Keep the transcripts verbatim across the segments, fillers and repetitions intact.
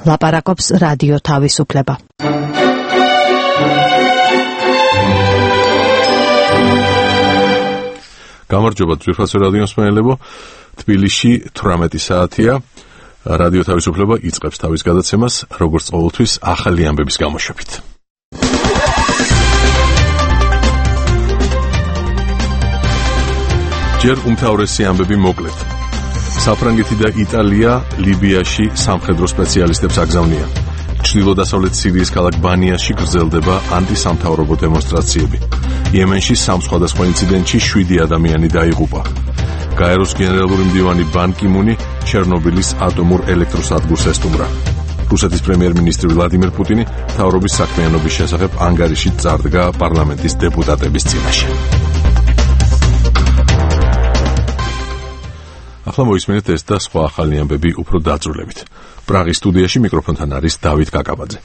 ლაპარაკობს რადიო თავისუფლება. გამარჯობა ძვირფასო რადიო მსმენელებო, თბილისში თვრამეტი საათია. რადიო თავისუფლება იწყებს თავის გადაცემას, როგორც ყოველთვის ახალი ამბების გამოშვებით. ჯერ უმთავრესი ამბები მოკლედ. საფრანგეთი და იტალია ლიბიაში სამხედრო სპეციალისტებს აგზავნიან. ჩრდილო-დასავლეთ სირიის ქალაქ ბანიაში გრძელდება ანტისამთავრობო დემონსტრაციები. იემენში სამ სხვადასხვა ინციდენტში შვიდი ადამიანი დაიღუპა. გაეროს გენერალური მდივანი ბან კი მუნი ჩერნობილის ატომურ ელექტროსადგურს ესტუმრა. რუსეთის პრემიერ-მინისტრი ვლადიმერ პუტინი მთავრობის საქმიანობის შესახებ ანგარიში წარდგა პარლამენტის დეპუტატების წინაშე. ახლა მოისმენთ ეს და სხვა ახალი ამბები უფრო დაწვრილებით. პრაღის სტუდიაში მიკროფონთან არის დავით კაკაბაძე.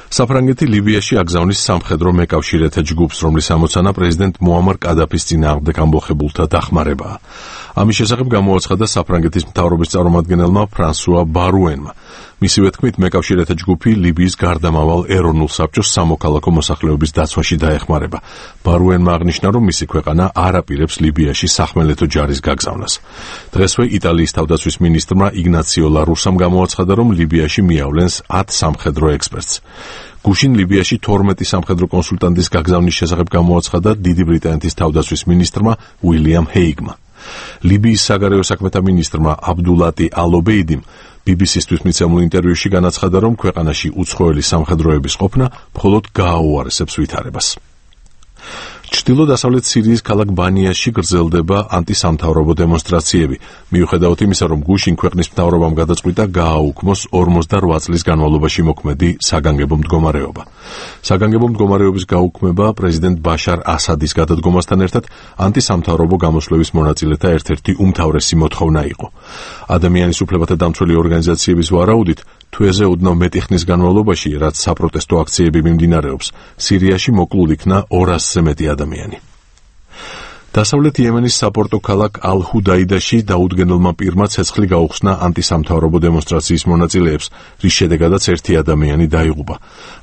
საფრანგეთი ლიბიაში აგზავნის სამხედრო მეკავშირეთა ჯგუფს, რომლის ამოცანა პრეზიდენტ მუამარ კადაფის წინააღმდეგ ამბოხებულთა დახმარებაა. ამის შესახებ გამოაცხადა საფრანგეთის მთავრობის წარმომადგენელმა ფრანსუა ბარუენმა. მისივე თქმით, მეკავშირეთა ჯგუფი ლიბიის გარდამავალ ეროვნულ საბჭოს სამოქალაქო მოსახლეობის დაცვაში დაეხმარება. ბარუენმა აღნიშნა, რომ მისი ქვეყანა არ აპირებს ლიბიაში სახმელეთო ჯარის გაგზავნას. დღესვე იტალიის თავდაცვის მინისტრმა იგნაციო ლა რუსამ გამოაცხადა, რომ ლიბიაში მიავლენს ათ სამხედრო ექსპერტს. გუშინ ლიბიაში თორმეტი სამხედრო კონსულტანტის გაგზავნის შესახებ გამოაცხადა დიდი ბრიტანეთის თავდაცვის მინისტრმა უილიამ ჰეიგმა. ლიბიის საგარეო საქმეთა მინისტრმა აბდულატი ალ-ობეიდიმ ბი ბი სი-სთვის მიცემულ ინტერვიუში განაცხადა, რომ ქვეყანაში უცხოელი სამხედროების ყოფნა მხოლოდ გააუარესებს ვითარებას. ჩრდილო-დასავლეთ სირიის ქალაქ ბანიაში გრძელდება ანტისამთავრობო დემონსტრაციები. მიუხედავად იმისა, რომ გუშინ ქვეყნის მთავრობამ გადაწყვიტა გააუქმოს ორმოცდაოთხ წლის განმავლობაში მოქმედი საგანგებო მდგომარეობა. საგანგებო მდგომარეობის გაუქმება პრეზიდენტ ბაშარ ასადის გადადგომასთან ერთად ანტისამთავრობო გამოსვლების მონაწილეთა ერთ-ერთი უმთავრესი მოთხოვნა იყო. ადამიანის უფლებათა დამცველი ორგანიზაციების ვარაუდით, თვეზე ოდნავ მეტი ხნის განმავლობაში, რაც საპროტესტო აქციები მიმდინარეობს, სირიაში მოკლულ იქნა ორასზე მეტი ადამიანი. დასავლეთ იემენის საპორტო ქალაქ ალ-ჰუდაიდაში დაუდგენელმა პირმა ცეცხლი გაუხსნა ანტისამთავრობო დემონსტრაციის მონაწილეებს, რის შედეგადაც ერთი ადამიანი დაიღუპა.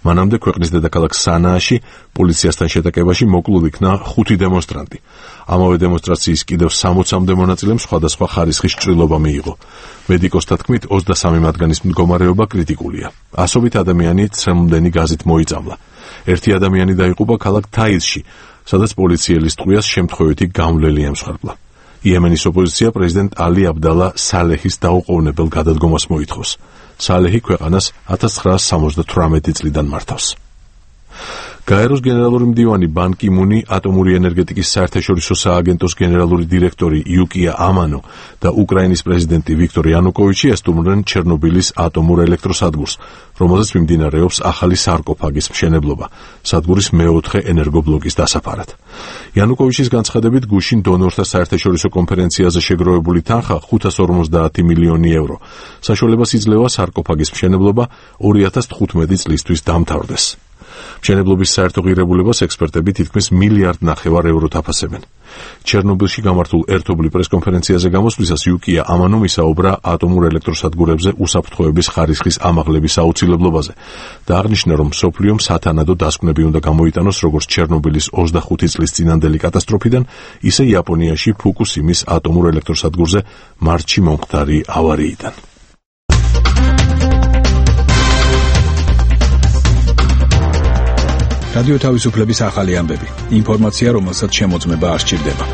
მანამდე ქვეყნის დედაქალაქ სანააში პოლიციასთან შეტაკებაში მოკლულ იქნა ხუთი დემონსტრანტი. ამავე დემონსტრაციის კიდევ სამოცამდე მონაწილემ სხვადასხვა ხარისხის ჭრილობა მიიღო. მედიკოსთა თქმით, ოცდასამი მათგანის მდგომარეობა კრიტიკულია. ასობით ადამიანი ცრემლმდენი გაზით მოიწამლა. ერთი ადამიანი დაიღუპა ქალაქ თაიზში, სადაც პოლიციელის ტყვიას შემთხვევითი გამვლელი ემსხვერპლა. იემენის ოპოზიცია პრეზიდენტ ალი აბდალა სალეჰის დაუყოვნებელ გადადგომას მოითხოვს. სალეჰი ქვეყანას ათას ცხრაასი სამოცდათვრამეტი წლიდან მართავს. გაეროს გენერალური მდივანი ბან კი მუნი, ატომური ენერგეტიკის საერთაშორისო სააგენტოს გენერალური დირექტორი იუკია ამანო და უკრაინის პრეზიდენტი ვიქტორ იანუკოვიჩი ესტუმრნენ ჩერნობილის ატომურ ელექტროსადგურს, რომელზეც მიმდინარეობს ახალი სარკოფაგის მშენებლობა, სადგურის მეოთხე ენერგობლოკის დასაფარად. იანუკოვიჩის განცხადებით, გუშინ დონორთა საერთაშორისო კონფერენციაზე შეგროვებული თანხა ხუთას ორმოცდაათი მილიონი ევრო. საშუალებას იძლევა სარკოფაგის მშენებლობა ორი ათას თხუთმეტი წლისთვის დამთავრდეს. მშენებლობის საერთო ღირებულებას ექსპერტები თითქმის მილიარდ ნახევარ ევროთ აფასებენ. ჩერნობილში გამართულ ერთობლივ პრესკონფერენციაზე გამოსვლისას იუკია ამანომ ისაუბრა ატომურ ელექტროსადგურებზე უსაფრთხოების ხარისხის ამაღლების აუცილებლობაზე და აღნიშნა, რომ მსოფლიომ სათანადო დასკვნები უნდა გამოიტანოს როგორც ჩერნობილის ოცდახუთი წლის წინანდელი კატასტროფიდან, ისე იაპონიაში ფუკუსიმის ატომურ ელექტროსადგურზე მარტში მომხდარი ავარიიდან. რადიო თავისუფლების ახალი ამბები. ინფორმაცია, რომელსაც შემოწმება არ სჭირდება.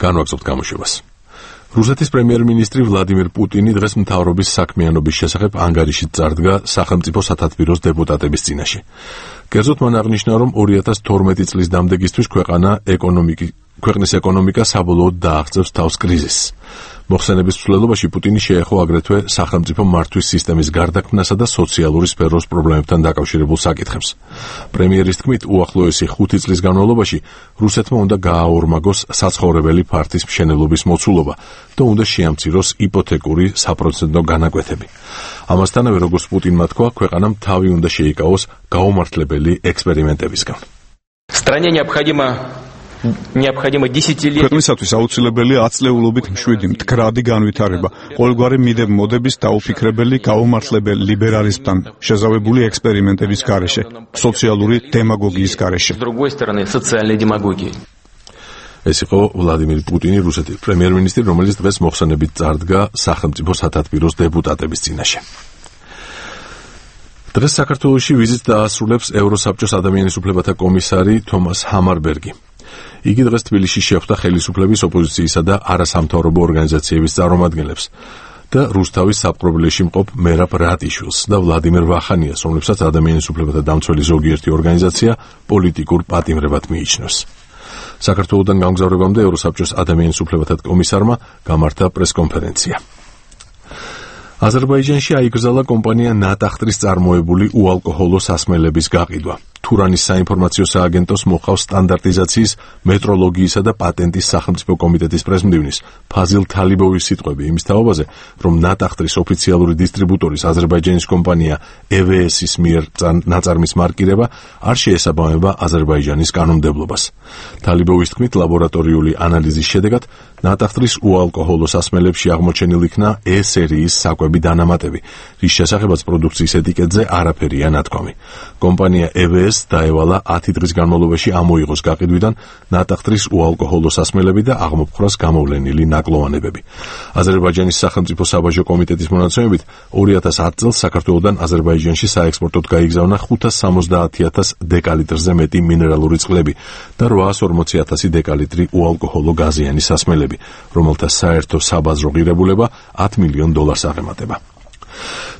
განვაგრძობთ გამოშვებას. რუსეთის პრემიერ-მინისტრი ვლადიმერ პუტინი დღეს მთავრობის საქმიანობის შესახებ ანგარიში წარდგა სახელმწიფო სათათბიროს დეპუტატების წინაშე. კერძოდ მან აღნიშნა, რომ ორი ათას თორმეტი წლის დამდეგისთვის ქვეყანა ეკონომიკი ქვეყნის ეკონომიკა საბოლოოდ დააღწევს თავს კრიზისს. მოხსენების მსვლელობაში პუტინი შეეხო აგრეთვე სახელმწიფო მართვის სისტემის გარდაქმნასა და სოციალური სფეროს პრობლემებთან დაკავშირებულ საკითხებს. პრემიერის თქმით, უახლოესი ხუთი წლის განმავლობაში რუსეთმა უნდა გააორმაგოს საცხოვრებელი ფართის მშენებლობის მოცულობა და უნდა შეამციროს იპოთეკური საპროცენტო განაკვეთები. ამასთანავე, როგორც პუტინმა თქვა, ქვეყანამ თავი უნდა შეიკავოს გაუმართლებელი ექსპერიმენტებისგან. Стране необходимо необходимо десятилетие. ქვეყნისათვის აუცილებელია ათწლეულობით მშვიდი მდგრადი განვითარება, ყოველგვარი მიდებ-მოდების დაუფიქრებელი, გაუმართლებელი ლიბერალიზმთან შეზავებული ექსპერიმენტების გარეშე, სოციალური დემაგოგიის გარეშე. С другой стороны, социальной демагогии. ეს იყო ვლადიმირ პუტინი, რუსეთის პრემიერ-მინისტრი, რომელიც დღეს მოხსენებით წარდგა სახელმწიფო სათათბიროს დეპუტატების წინაშე. დღეს საქართველოში ვიზიტს დაასრულებს ევროსაბჭოს ადამიანის უფლებათა კომისარი თომას ჰამარბერგი. იგი დღეს თბილისში შეხვდა ხელისუფლების, ოპოზიციისა და არასამთავრობო ორგანიზაციების წარმომადგენლებს და რუსთავის საპყრობილეში მყოფ მერაბ რატიშვილს და ვლადიმერ ვახანიას, რომლებსაც ადამიანის უფლებათა დამცველი ზოგიერთი ორგანიზაცია პოლიტიკურ პატიმრებად მიიჩნევს. საქართველოდან გამგზავრებამდე ევროსაბჭოს ადამიანის უფლებათა კომისარმა გამართა პრესკონფერენცია. აზერბაიჯანში აიგზავნა კომპანია ნატახტრის წარმოებული უალკოჰოლო სასმელების გაყიდვა. თურანის საინფორმაციო სააგენტოს მოყავს სტანდარტიზაციის, მეტროლოგიისა და პატენტის სახელმწიფო კომიტეტის პრეზიდენტის ფაზილ თალიბოვის სიტყვები იმის თაობაზე, რომ ნატახტრის ოფიციალური დისტრიბუტორის აზერბაიჯანის კომპანია ე ვე ეს-ის მიერ ნაწარმის მარკირება არ შეესაბამება აზერბაიჯანის კანონმდებლობას. თალიბოვის თქმით, ლაბორატორიული ანალიზის შედეგად ნატახტრის უალკოჰოლო სასმელებში აღმოჩენილ იქნა E სერიის საკვები დანამატები, რის შესახებაც პროდუქციის ეტიკეტზე არაფერია ნათქვამი. კომპანია ე ვე ეს დაევალა ათი დღის განმავლობაში ამოიღოს გაყიდვიდან ნატახტრის უალკოჰოლო სასმელები და აღმოფხრას გამოვლენილი ნაკლოვანებები. აზერბაიჯანის სახელმწიფო საბაჟო კომიტეტის მონაცემებით ორი ათას ათი წელს საქართველოდან აზერბაიჯანში საექსპორტოდ გაიგზავნა ხუთას სამოცდაათი ათას დეკალიტრზე მეტი მინერალური წყლები და რვაას ორმოცი ათასი დეკალიტრი უალკოჰოლო გაზიანი სასმელები, რომელთა საერთო საბაზრო ღირებულება ათი მილიონ დოლარს აღემატება.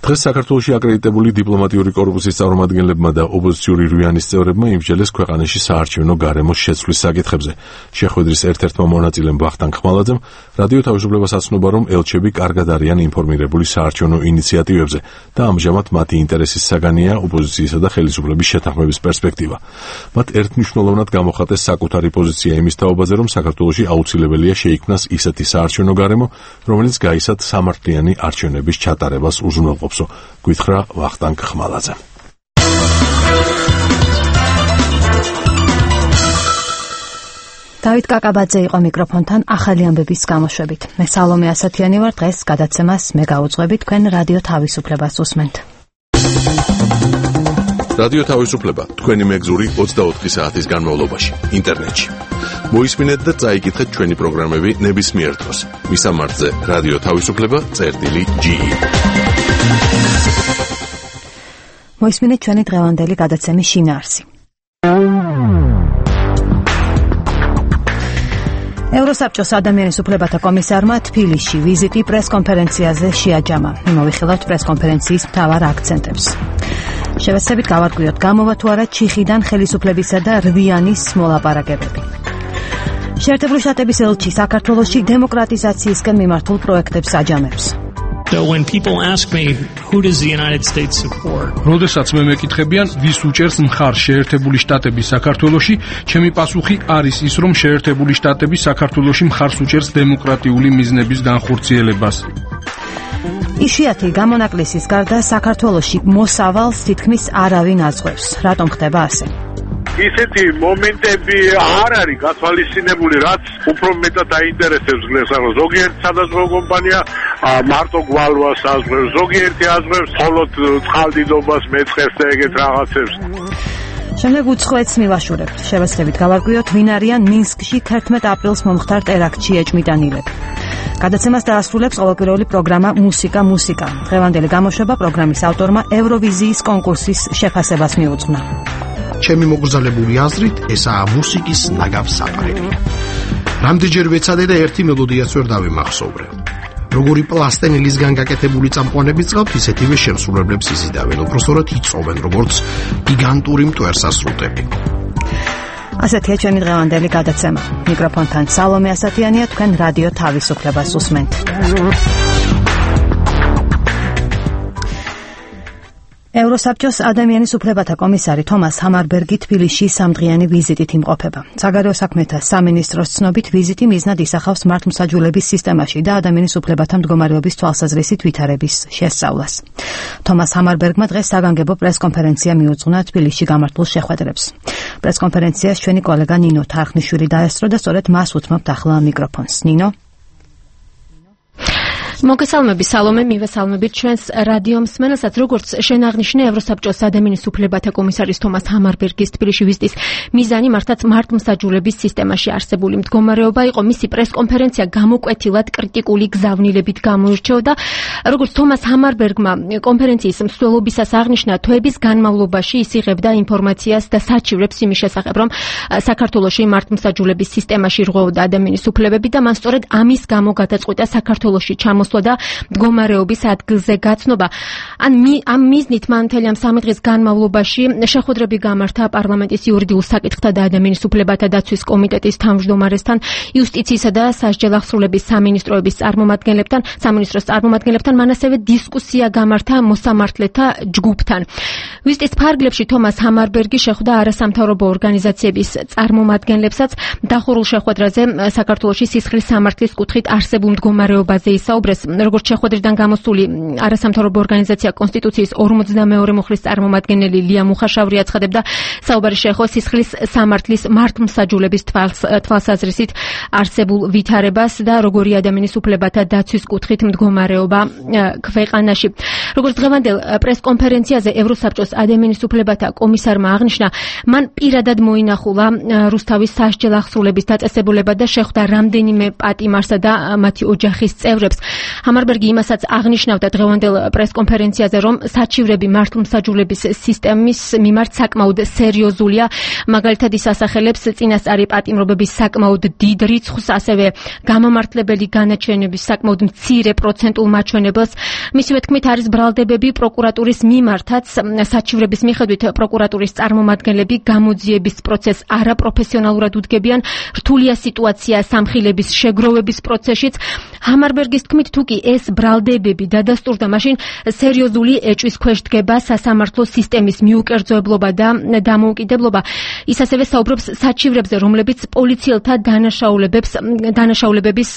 დღეს საქართველოში აკრედიტებული დიპლომატიური კორპუსის წარმომადგენლებმა და ოპოზიციური რვიანის წევრებმა იმსჯელეს ქვეყანაში საარჩევნო გარემოს შეცვლის საკითხებზე. შეხვედრის ერთ-ერთმა მონაწილემ ვახტანგ ხმალაძემ რადიო თავისუფლებას აცნობა, რომ ელჩები კარგად არიან ინფორმირებული საარჩევნო ინიციატივებზე და ამჟამად მათი ინტერესის საგანია ოპოზიციისა და ხელისუფლების შეთანხმების პერსპექტივა. მათ ერთმნიშვნელოვნად გამოხატეს საკუთარი პოზიცია იმის თაობაზე, რომ საქართველოში აუცილებელია შეიქმნას ისეთი საარჩევნო გარემო, რომელიც გაისად სამართლიანი არჩევნების ჩატარებას უზრუნველყოფსო, გითხრა ვახტანგ ხმალაძე. დავით კაკაბაძე იყო მიკროფონთან ახალი ამბების გამოშვებით. მე სალომე ასათიანი ვარ, დღეს გადაცემას მე გაუძღვები, თქვენ რადიო თავისუფლებას უსმენთ. რადიო თავისუფლება თქვენი მეგზური ოცდაოთხი საათის განმავლობაში ინტერნეტში. მოისმინეთ და წაიკითხეთ ჩვენი პროგრამები ნებისმიერ დროს. მისამართზე რადიო თავისუფლება წერტილი ჯი. მოისმინეთ ჩვენი დღევანდელი გადაცემის შინაარსი. ევროსაბჭოს ადამიანის უფლებათა კომისარმა თბილისში ვიზიტი პრესკონფერენციაზე შეაჯამა. მოვიხილავთ პრესკონფერენციის მთავარ აქცენტებს. შევეცდებით გავარკვიოთ, გამოვა თუ არა ჩიხიდან ხელისუფლებისა და რვიანის მოლაპარაკებები. შეერთებული შტატების ელჩი საქართველოში დემოკრატიზაციისკენ მიმართულ პროექტებს აჯამებს. So when people ask me who does the United States support? როდესაც მე მეკითხებიან, ვის უჭერს მხარს შეერთებული შტატები საქართველოში, ჩემი პასუხი არის ის, რომ შეერთებული შტატები საქართველოში მხარს უჭერს დემოკრატიული მიზნების განხორციელებას. იშვიათი გამონაკლისის გარდა საქართველოში მოსავალს თითქმის არავინ აზღვევს. რატომ ხდება ასე? ისეთი მომენტები არ არის გათვალისწინებული, რაც უფრო მეტად აინტერესებს გლესარო. ზოგიერთი სადაზღვევო კომპანია მარტო გვალვას აზღვევს, ზოგიერთი აზღვევს მხოლოდ წყალდიდობას, მეწყერს და ეგეთ რაღაცებს. შემდეგ უცხოეთს მივაშურებთ. შევეცდებით გავარკვიოთ, ვინ არიან მინსკში თერთმეტ აპრილს მომხდარ ტერაქტში ეჭმიდანილები. გადაცემას დაასრულებს ყოველკვირეული პროგრამა მუსიკა მუსიკა. დღევანდელი გამოშვება პროგრამის ავტორმა ევროვიზიის კონკურსის შეფასებას მიუძღვნა. ჩემი მოგზაურებული აზრით, ესაა მუსიკის ნაგავსაყრელი. რამდენჯერ ვეცადე და ერთი მელოდიაც ვერ დავიმახსოვრე. როგორი პლასტენილისგან გაკეთებული წამყვანები წავთ, ისეთივე შემსრულებლებს იზიდავენ, უბრალოდ იწოვენ, როგორც გიგანტური მტვერსასრუტები. ასეთია ჩვენი დღევანდელი გადაცემა. მიკროფონთან სალომე ასათიანია, თქვენ რადიო თავისუფლებას უსმენთ. ევროსაბჭოს ადამიანის უფლებათა კომისარი თომას ჰამარბერგი თბილისში სამდღიანი ვიზიტით იმყოფება. საგარეო საქმეთა სამინისტროს ცნობით ვიზიტი მიზნად ისახავს მართლმსაჯულების სისტემაში და ადამიანის უფლებათა მდგომარეობის თვალსაზრისით ვითარების შესწავლას. თომას ჰამარბერგმა დღეს საგანგებო პრესკონფერენცია მიუძღვნა თბილისში გამართულ შეხვედრებს. პრესკონფერენციას ჩვენი კოლეგა ნინო თარხნიშვილი დაესწრო და სწორედ მას უთმობთ ახლა მიკროფონს. ნინო. მოგესალმები სალომე, მივესალმებით ჩვენს რადიო მსმენელსაც. როგორც შენ აღნიშნე, ევროსაბჭოს ადამიანის უფლებათა კომისარის თომას ჰამარბერგის თბილისში ვიზიტის მიზანი მართლაც მართლმსაჯულების სისტემაში არსებული მდგომარეობა იყო. მისი პრესკონფერენცია გამოკვეთილად კრიტიკული გზავნილებით გამოირჩეოდა. როგორც თომას ჰამარბერგმა კონფერენციის მსვლელობისას აღნიშნა, თვეების განმავლობაში ის იღებდა ინფორმაციას და საჩივრებს იმის შესახებ, რომ საქართველოში მართლმსაჯულების სისტემაში რღვეოდა ადამიანის უფლებები და მან სწორედ ამის გამო გადაწყვიტა საქართველოში ჩამოსვლა და მდგომარეობის ადგილზე გაცნობა. ან ამ მიზნით მან მთელი ამ სამი დღის განმავლობაში შეხვედრები გამართა პარლამენტის იურიდიულ საკითხთა და ადამიანის უფლებათა დაცვის კომიტეტის თავმჯდომარესთან, იუსტიციისა და სასჯელ აღსრულების სამინისტროების წარმომადგენლებთან, სამინისტროს წარმომადგენლებთან, მან ასევე დისკუსია გამართა მოსამართლეთა ჯგუფთან. ვიზიტის ფარგლებში თომას ჰამარბერგი შეხვდა არასამთავრობო ორგანიზაციების წარმომადგენლებსაც. დახურულ შეხვედრაზე საქართველოში სისხლის სამართლის კუთხით არსებულ მდგომარეობაზე ისაუბრეს. როგორც შეხვედრიდან გამოსული არასამთავრობო ორგანიზაცია კონსტიტუციის ორმოცდამეორე მუხლის წარმომადგენელი ლია მუხაშავრი აცხადებდა, საუბარი შეეხო სისხლის სამართლის მართლმსაჯულების თვალსაზრისით არსებულ ვითარებას და როგორი ადამიანის უფლებათა დაცვის კუთხით მდგომარეობა ქვეყანაში. როგორც დღევანდელ პრესკონფერენციაზე ევროსაბჭოს ადამიანის უფლებათა კომისარმა აღნიშნა, მან პირადად მოინახულა რუსთავის სასჯელ აღსრულების დაწესებულება და შეხვდა რამდენიმე პატიმარსა და მათი ოჯახის წევრებს. ჰამარბერგი იმასაც აღნიშნავდა დღევანდელ პრესკონფერენციაზე, რომ საჩივრები მართლმსაჯულების სისტემის მიმართ საკმაოდ სერიოზულია. მაგალითად ის ასახელებს წინასწარი პატიმრობების საკმაოდ დიდ რიცხვს, ასევე გამამართლებელი განაჩენების საკმაოდ მცირე პროცენტულ მაჩვენებელს. მისივე თქმით, არის ბრალდებები პროკურატურის მიმართაც. საჩივრების მიხედვით პროკურატურის წარმომადგენლები გამოძიების პროცესს არაპროფესიონალურად უდგებიან. რთულია სიტუაცია სამხილების შეგროვების პროცესშიც. ჰამარბერგის თქმით, თუ კი ეს ბრალდებები დადასტურდა, მაშინ სერიოზული ეჭვის ქვეშ დგება სასამართლო სისტემის მიუკერძოებლობა და დამოუკიდებლობა. ის ასევე საუბრობს საჩივრებზე, რომლებიც პოლიციელთა დანაშაულებებს დანაშაულებების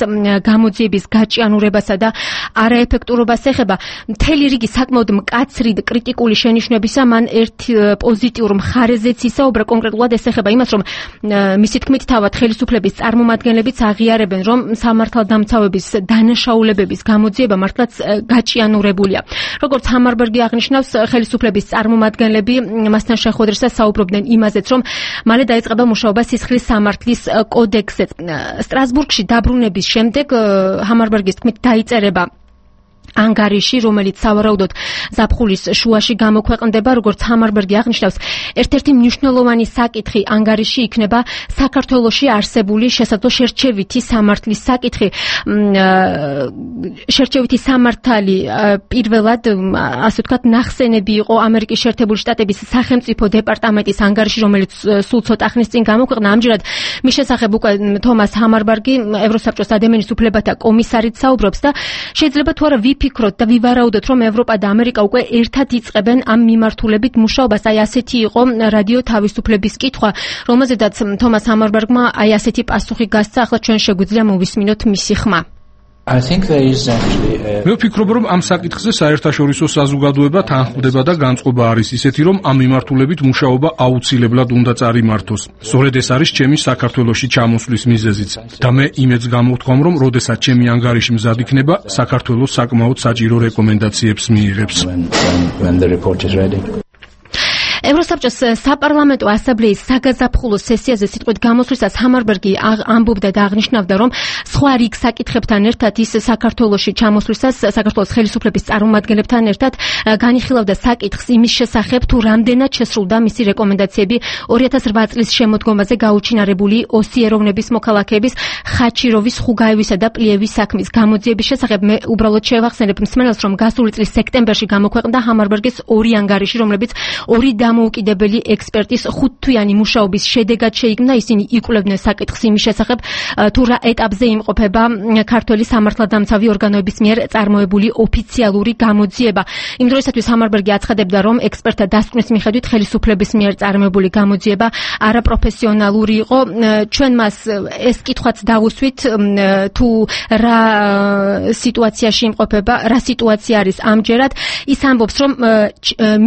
გამოძიების გაჭიანურებასა და არაეფექტურობას ეხება. მთელი რიგი საკმაოდ მკაცრი და კრიტიკული შენიშვნებისა მან ერთ პოზიტიურ მხარეზეც ისაუბრა. კონკრეტულად ეს ეხება იმას, რომ მისი თქმით, თავად ხელისუფლების წარმომადგენლებიც აღიარებენ, რომ სამართალდამცავების დანაშაულებების გამოძიება მართლაც გაჭიანურებულია. როგორც ჰამარბერგი აღნიშნავს, ხელისუფლების წარმომადგენლები მასთან შეხვედრისას საუბრობდნენ იმაზეც, რომ მალე დაიწყება მუშაობა სისხლის სამართლის კოდექსზე. სტრასბურგში დაბრუნების შემდეგ ჰამარბერგის თქმით დაიწერება ანგარიში, რომელიც სავარაუდოდ ზაფხულის შუაში გამოქვეყნდება. როგორც ჰამარბერგი აღნიშნავს, ერთ-ერთი მნიშვნელოვანი საკითხი ანგარიში იქნება საქართველოში არსებული შესაძლო შერჩევითი სამართლის საკითხი. შერჩევითი სამართალი პირველად, ასე ვთქვათ, ნახსენები იყო ამერიკის შეერთებული შტატების სახელმწიფო დეპარტამენტის ანგარიში, რომელიც სულ ცოტა ხნის წინ გამოქვეყნა. ამჯერად მის შესახებ უკვე თომას ჰამარბერგი, ევროსაბჭოს ადამიანის უფლებათა კომისარით საუბრობს და შეიძლება თუ არა ვიფიქროთ და ვივარაუდოთ, რომ ევროპა და ამერიკა უკვე ერთად იწყებენ ამ მიმართულებით მუშაობას. აი ასეთი იყო რადიო თავისუფლების კითხვა, რომელზედაც თომას ჰამარბერგმა აი ასეთი პასუხი გასცა. ახლა ჩვენ შეგვიძლია მოვისმინოთ მისი ხმა. მე ვფიქრობ, რომ ამ საკითხზე საერთაშორისო საზოგადოება თანხმდება და განწყობა არის ისეთი, რომ ამ მიმართულებით მუშაობა აუცილებლად უნდა წარიმართოს. სწორედ ეს არის ჩემი საქართველოში ჩამოსვლის მიზეზიც. და მე იმედს გამოვთქვამ, რომ როდესაც ჩემი ანგარიში მზად იქნება, საქართველოს საკმაოდ საჭირო რეკომენდაციებს მიიღებს. ევროსაბჭოს საპარლამენტო ასამბლეის საგაზაფხულო სესიაზე სიტყვით გამოსვლისას ჰამარბერგი ამბობდა და აღნიშნავდა, რომ სხვა რიგ საკითხებთან ერთად ის საქართველოში ჩამოსვლისას საქართველოს ხელისუფლების წარმომადგენლებთან ერთად განიხილავდა საკითხს იმის შესახებ, თუ რამდენად შესრულდა მისი რეკომენდაციები ორი ათას რვა წლის შემოდგომაზე გაუჩინარებული ოსი ეროვნების მოქალაქეების ხაჩიროვის, ხუგაევისა და პლიევის საქმის გამოძიების შესახებ. მე უბრალოდ შევახსენებ მსმენელს, რომ გასული წლის სექტემბერში გამოქვეყნდა ჰამარბერგის ორი ანგარიში, რომლებიც ორი დამოუკიდებელი ექსპერტის ხუთთვიანი მუშაობის შედეგად შეიქმნა. ისინი იკვლევდნენ საკითხს იმის შესახებ, თუ რა ეტაპზე იმყოფება ქართველი სამართალდამცავი ორგანოების მიერ წარმოებული ოფიციალური გამოძიება. იმ დროისათვის ჰამარბერგი აცხადებდა, რომ ექსპერტთა დასკვნის მიხედვით ხელისუფლების მიერ წარმოებული გამოძიება არაპროფესიონალური იყო. ჩვენ მას ეს კითხვაც დავუსვით, თუ რა სიტუაციაში იმყოფება, რა სიტუაცია არის ამჯერად. ის ამბობს, რომ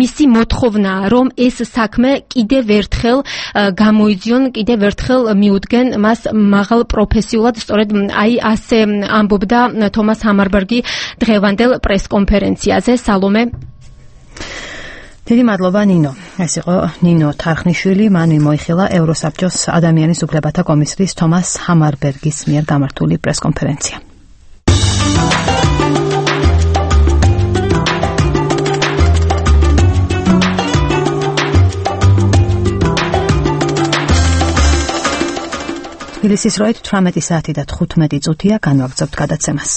მისი მოთხოვნა, რომ ეს საქმე კიდევ ერთხელ გამოიძიონ, კიდევ ერთხელ მიუდგენ მას მაღალ პროფესიულად. სწორედ აი ასე ამბობდა თომას ჰამარბერგი დღევანდელ პრესკონფერენციაზე. სალომე. დიდი მადლობა ნინო. ეს იყო ნინო თარხნიშვილი, მან მოიხილა ევროსაბჭოს ადამიანის უფლებათა კომისრის თომას ჰამარბერგის მიერ გამართული პრესკონფერენცია. თბილისის დროით თვრამეტი საათი და თხუთმეტი წუთია, განვაგრძობთ გადაცემას.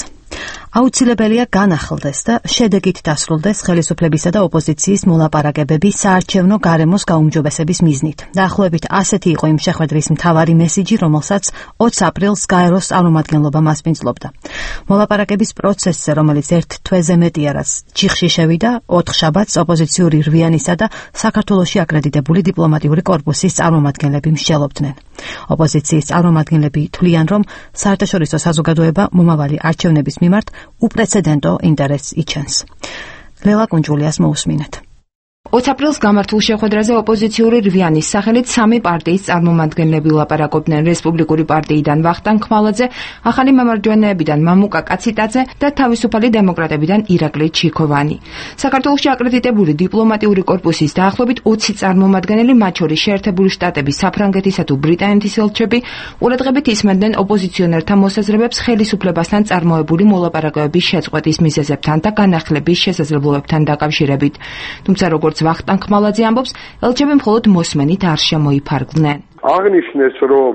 აუცილებელია განახლდეს და შედეგით დასრულდეს ხელისუფლებისა და ოპოზიციის მოლაპარაკებები საარჩევნო გარემოს გაუმჯობესების მიზნით. დაახლოებით ასეთი იყო იმ შეხვედრის მთავარი მესიჯი, რომელსაც ოცი აპრილს გაეროს წარმომადგენლობა მასპინძლობდა. მოლაპარაკების პროცესზე, რომელიც ერთ თვეზე მეტია, რაც ჩიხში შევიდა, ოთხ შაბათს ოპოზიციური რვიანისა და საქართველოში აკრედიტებული დიპლომატიური კორპუსის წარმომადგენლები მსჯელობდნენ. ოპოზიციის წარმომადგენლები თვლიან, რომ საერთაშორისო საზოგადოება მომავალი არჩევნების მიმართ უპრეცედენტო ინტერესს იჩენს. ლელა კუნჯულიას მოусმინეთ. ოცი აპრილს გამართულ შეხვედრაზე ოპოზიციური რვიანის სახელით სამი პარტიის წარმომადგენლები ლაპარაკობდნენ. რესპუბლიკური პარტიიდან ვახტანგ ხმალაძე, ახალი მემარჯვენეებიდან მამუკა კაციტაძე და თავისუფალი დემოკრატებიდან ირაკლი ჩიქოვანი. საქართველოში აკრედიტებული დიპლომატიური კორპუსის დაახლოებით ოცი წარმომადგენელი, მათ შორის შეერთებული შტატების, საფრანგეთისა თუ ბრიტანეთის ელჩები, ყურადღებით ისმენდნენ ოპოზიციონერთა მოსაზრებებს ხელისუფლებასთან წარმოებული მოლაპარაკებების შეწყვეტის მიზეზებთან და განახლების შესაძლებლობებთან დაკავშირებით. თუმცა როგორც ვახტანგ ხმალაძე ამბობს, ელჩები მხოლოდ მოსმენით არ შემოიფარგლნენ. აღნიშნეს, რომ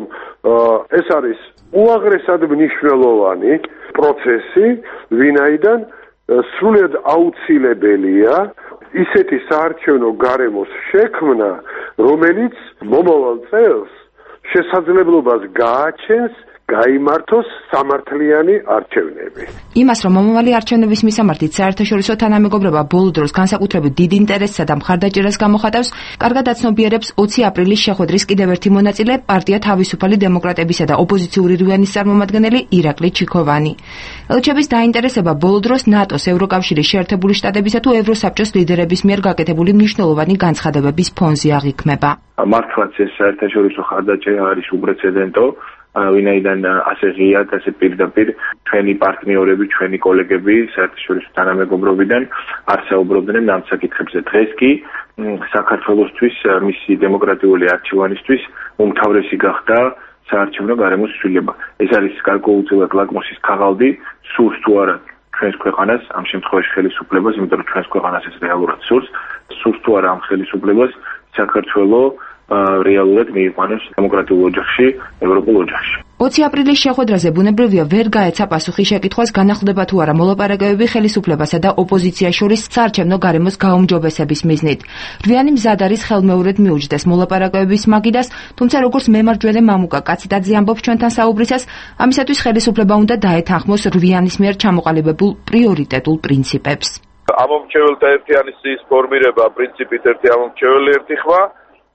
ეს არის უაღრესად მნიშვნელოვანი პროცესი, ვინაიდან სრულიად აუცილებელია ისეთი საარჩევნო გარემოს შექმნა, რომელიც მომავალ წელს შესაძლებლობას გააჩენს გაიმართოს სამართლიანი არჩევნები. იმას, რომ მომავალი არჩევნების მისამართით საერთაშორისო თანამეგობრობა ბოლო დროს განსაკუთრებით დიდ ინტერესსა და მხარდაჭერას გამოხატავს, კარგად აცნობიერებს ოცი აპრილის შეხვედრის კიდევ ერთი მონაწილე, პარტია თავისუფალი დემოკრატებისა და ოპოზიციური რვიანის წარმომადგენელი ირაკლი ჩიქოვანი. ელჩების დაინტერესება ბოლო დროს ნატოს, ევროკავშირის, შეერთებული შტატებისა თუ ევროსაბჭოს ლიდერების მიერ გაკეთებული მნიშვნელოვანი განცხადებების ფონზე აღიქმება. მართლაც ეს საერთაშორისო მხარდაჭერა არის უპრეცედენტო. ვინაიდან ასე ღიად, ასე პირდაპირ ჩვენი პარტნიორები, ჩვენი კოლეგები საერთაშორისო თანამეგობრობიდან არ საუბრობდნენ ამ საკითხებზე. დღეს კი საქართველოსთვის, მისი დემოკრატიული არჩევანისთვის უმთავრესი გახდა საარჩევნო გარემოს ცვლილება. ეს არის გარკვეულწილად ლაკმუსის ქაღალდი, სურს თუ არა ჩვენს ქვეყანას, ამ შემთხვევაში ხელისუფლებას, იმიტომ რომ ჩვენს ქვეყანას ეს რეალურად სურს, სურს თუ არა ამ ხელისუფლებას საქართველოს რეალურად მიიყვანოს დემოკრატიულ ოჯახში, ევროპულ ოჯახში. ოცი აპრილის შეხვედრაზე ბუნებრივია ვერ გაეცა პასუხი შეკითხვას, განახლდება თუ არა მოლაპარაკებები ხელისუფლებასა და ოპოზიციას შორის საარჩევნო გარემოს გაუმჯობესების მიზნით. რვიანი მზად არის ხელმეორედ მიუჯდეს მოლაპარაკებების მაგიდას, თუმცა როგორც მემარჯვენე მამუკა კაციტაძე ამბობს ჩვენთან საუბრისას, ამისათვის ხელისუფლება უნდა დაეთანხმოს რვიანის მიერ ჩამოყალიბებულ პრიორიტეტულ პრინციპებს. ამომრჩეველთა ერთიანობის ფორმირება პრინციპით ერთი ამომრჩეველი ერთი ხმა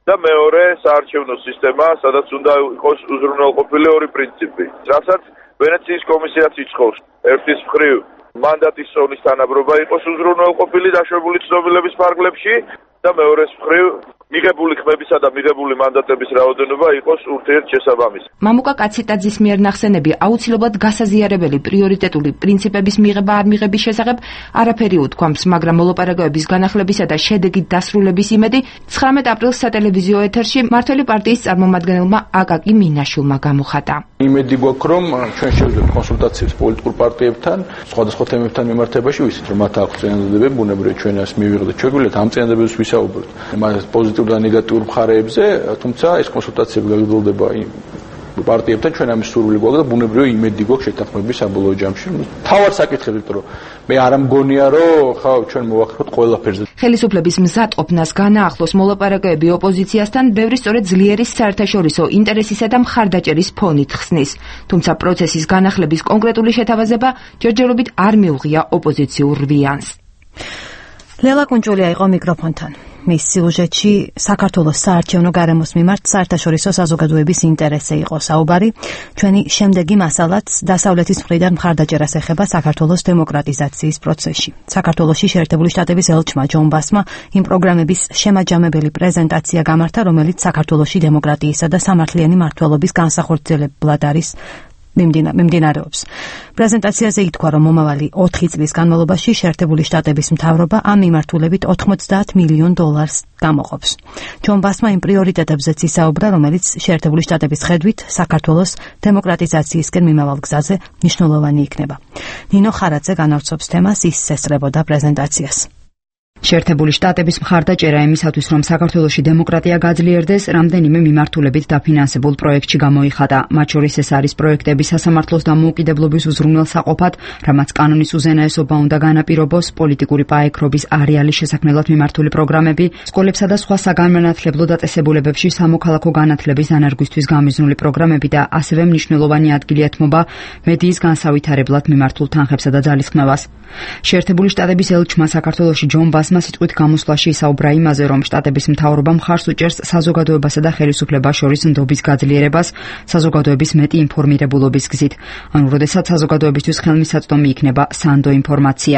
და მეორე საარჩევნო სისტემა, სადაც უნდა იყოს უზრუნველყოფილი ორი პრინციპი. რასაც ვენეციის კომისიაც იცხოვს. ერთის მხრივ მანდატის ზონის თანაბრობა იყოს უზრუნველყოფილი დაშვებული ცნობილების ფარგლებში და მეორეს მხრივ მიღებული ხმებისა და მიღებული მანდატების რაოდენობა იყოს ურთიერთშესაბამისი. მამუკა კაციტაძის მიერ ნახსენები აუცილებლად გასაზიარებელი პრიორიტეტული პრინციპების მიღება არ მიღების შესახებ არაფერი უთქვამს, მაგრამ მოლაპარაკებების განახლებისა და შედეგით დასრულების იმედი ცხრამეტ აპრილს სატელევიზიო ეთერში მმართველი პარტიის წარმომადგენელმა აკაკი მინაშვილმა გამოხატა. იმედი გვაქვს, რომ ჩვენ შევძლებთ კონსულტაციებს პოლიტიკურ პარტიებთან, სხვადასხვა თემებთან მიმართებაში, ვიცით, რომ მათ აქვს წინადადებები, ბუნებრივია ჩვენ ეს მივიღეთ, შეგვიძლია ამ წინადადებებს ვისაუბროთ. მას პოზიტიურ და ნეგატიურ მხარეებზე, თუმცა ეს კონსულტაციები გაგრძელდება პარტიებთან ჩვენ ამის სურვილი გვაქვს და ბუნებრივია იმედი გვაქვს შეთანხმების საბოლოო ჯამში. თავად საკითხები, იმიტომ რომ მე არ ამგონია რომ ხა ჩვენ მოვახერხოთ ყველაფერზე. ხელისუფლების მზადყოფნას განაახლოს მოლაპარაკებები ოპოზიციასთან ბევრი სწორედ ძლიერის საერთაშორისო ინტერესისა და მხარდაჭერის ფონით ხსნის. თუმცა პროცესის განახლების კონკრეტული შეთავაზება ჯერჯერობით არ მიუღია ოპოზიციურ რვიანს. ლელა კუნჭულია იყო მიკროფონთან. მის სიუჟეტში საქართველოს საარჩევნო გარემოს მიმართ საერთაშორისო საზოგადოების ინტერესზე იყო საუბარი. ჩვენი შემდეგი მასალაც დასავლეთის მხრიდან მხარდაჭერას ეხება საქართველოს დემოკრატიზაციის პროცესში. საქართველოში შეერთებული შტატების ელჩმა ჯონ ბასმა იმ პროგრამების შემაჯამებელი პრეზენტაცია გამართა, რომელიც საქართველოში დემოკრატიისა და სამართლიანი მმართველობის განსახორციელებლად არის მიმდინარეობს. პრეზენტაციაზე ითქვა, რომ მომავალი ოთხი წლის განმავლობაში შეერთებული შტატების მთავრობა ამ მიმართულებით ოთხმოცდაათ მილიონ დოლარს გამოყოფს. ჯონ ბასმა იმ პრიორიტეტებზეც ისაუბრა, რომელიც შეერთებული შტატების ხედვით საქართველოს დემოკრატიზაციისკენ მიმავალ გზაზე მნიშვნელოვანი იქნება. ნინო ხარაძე განავრცობს თემას, ის ესწრებოდა პრეზენტაციას. შეერთებული შტატების მხარდაჭერა იმისათვის, რომ საქართველოში დემოკრატია გაძლიერდეს, რამდენიმე მიმართულებით დაფინანსებულ პროექტში გამოიხადა. მათ შორის ეს არის პროექტები სასამართლოს დამოუკიდებლობის უზრუნველსაყოფად, რამაც კანონის უზენაესობა უნდა განაპირობოს, პოლიტიკური პაექრობის არეალის შესაქმნელად მიმართული პროგრამები, სკოლებსა და სხვა საგანმანათლებლო დაწესებულებებში სამოქალაქო განათლების დანერგვისთვის გამიზნული პროგრამები და ასევე მნიშვნელოვანი ადგილი ეთმობა მედიის განსავითარებლად მიმართულ თანხებსა და ძალისხმევას. შეერთებული შტატების ელჩმა საქართველოში ჯონ ბასმა სიტყვით გამოსვლაში ისაუბრა იმაზე, რომ შტატების მთავრობა მხარს უჭერს საზოგადოებასა და ხელისუფლებას შორის ნდობის გაძლიერებას, საზოგადოების მეტი ინფორმირებულობის გზით. ანუ, როდესაც საზოგადოებისთვის ხელმისაწვდომი იქნება სანდო ინფორმაცია.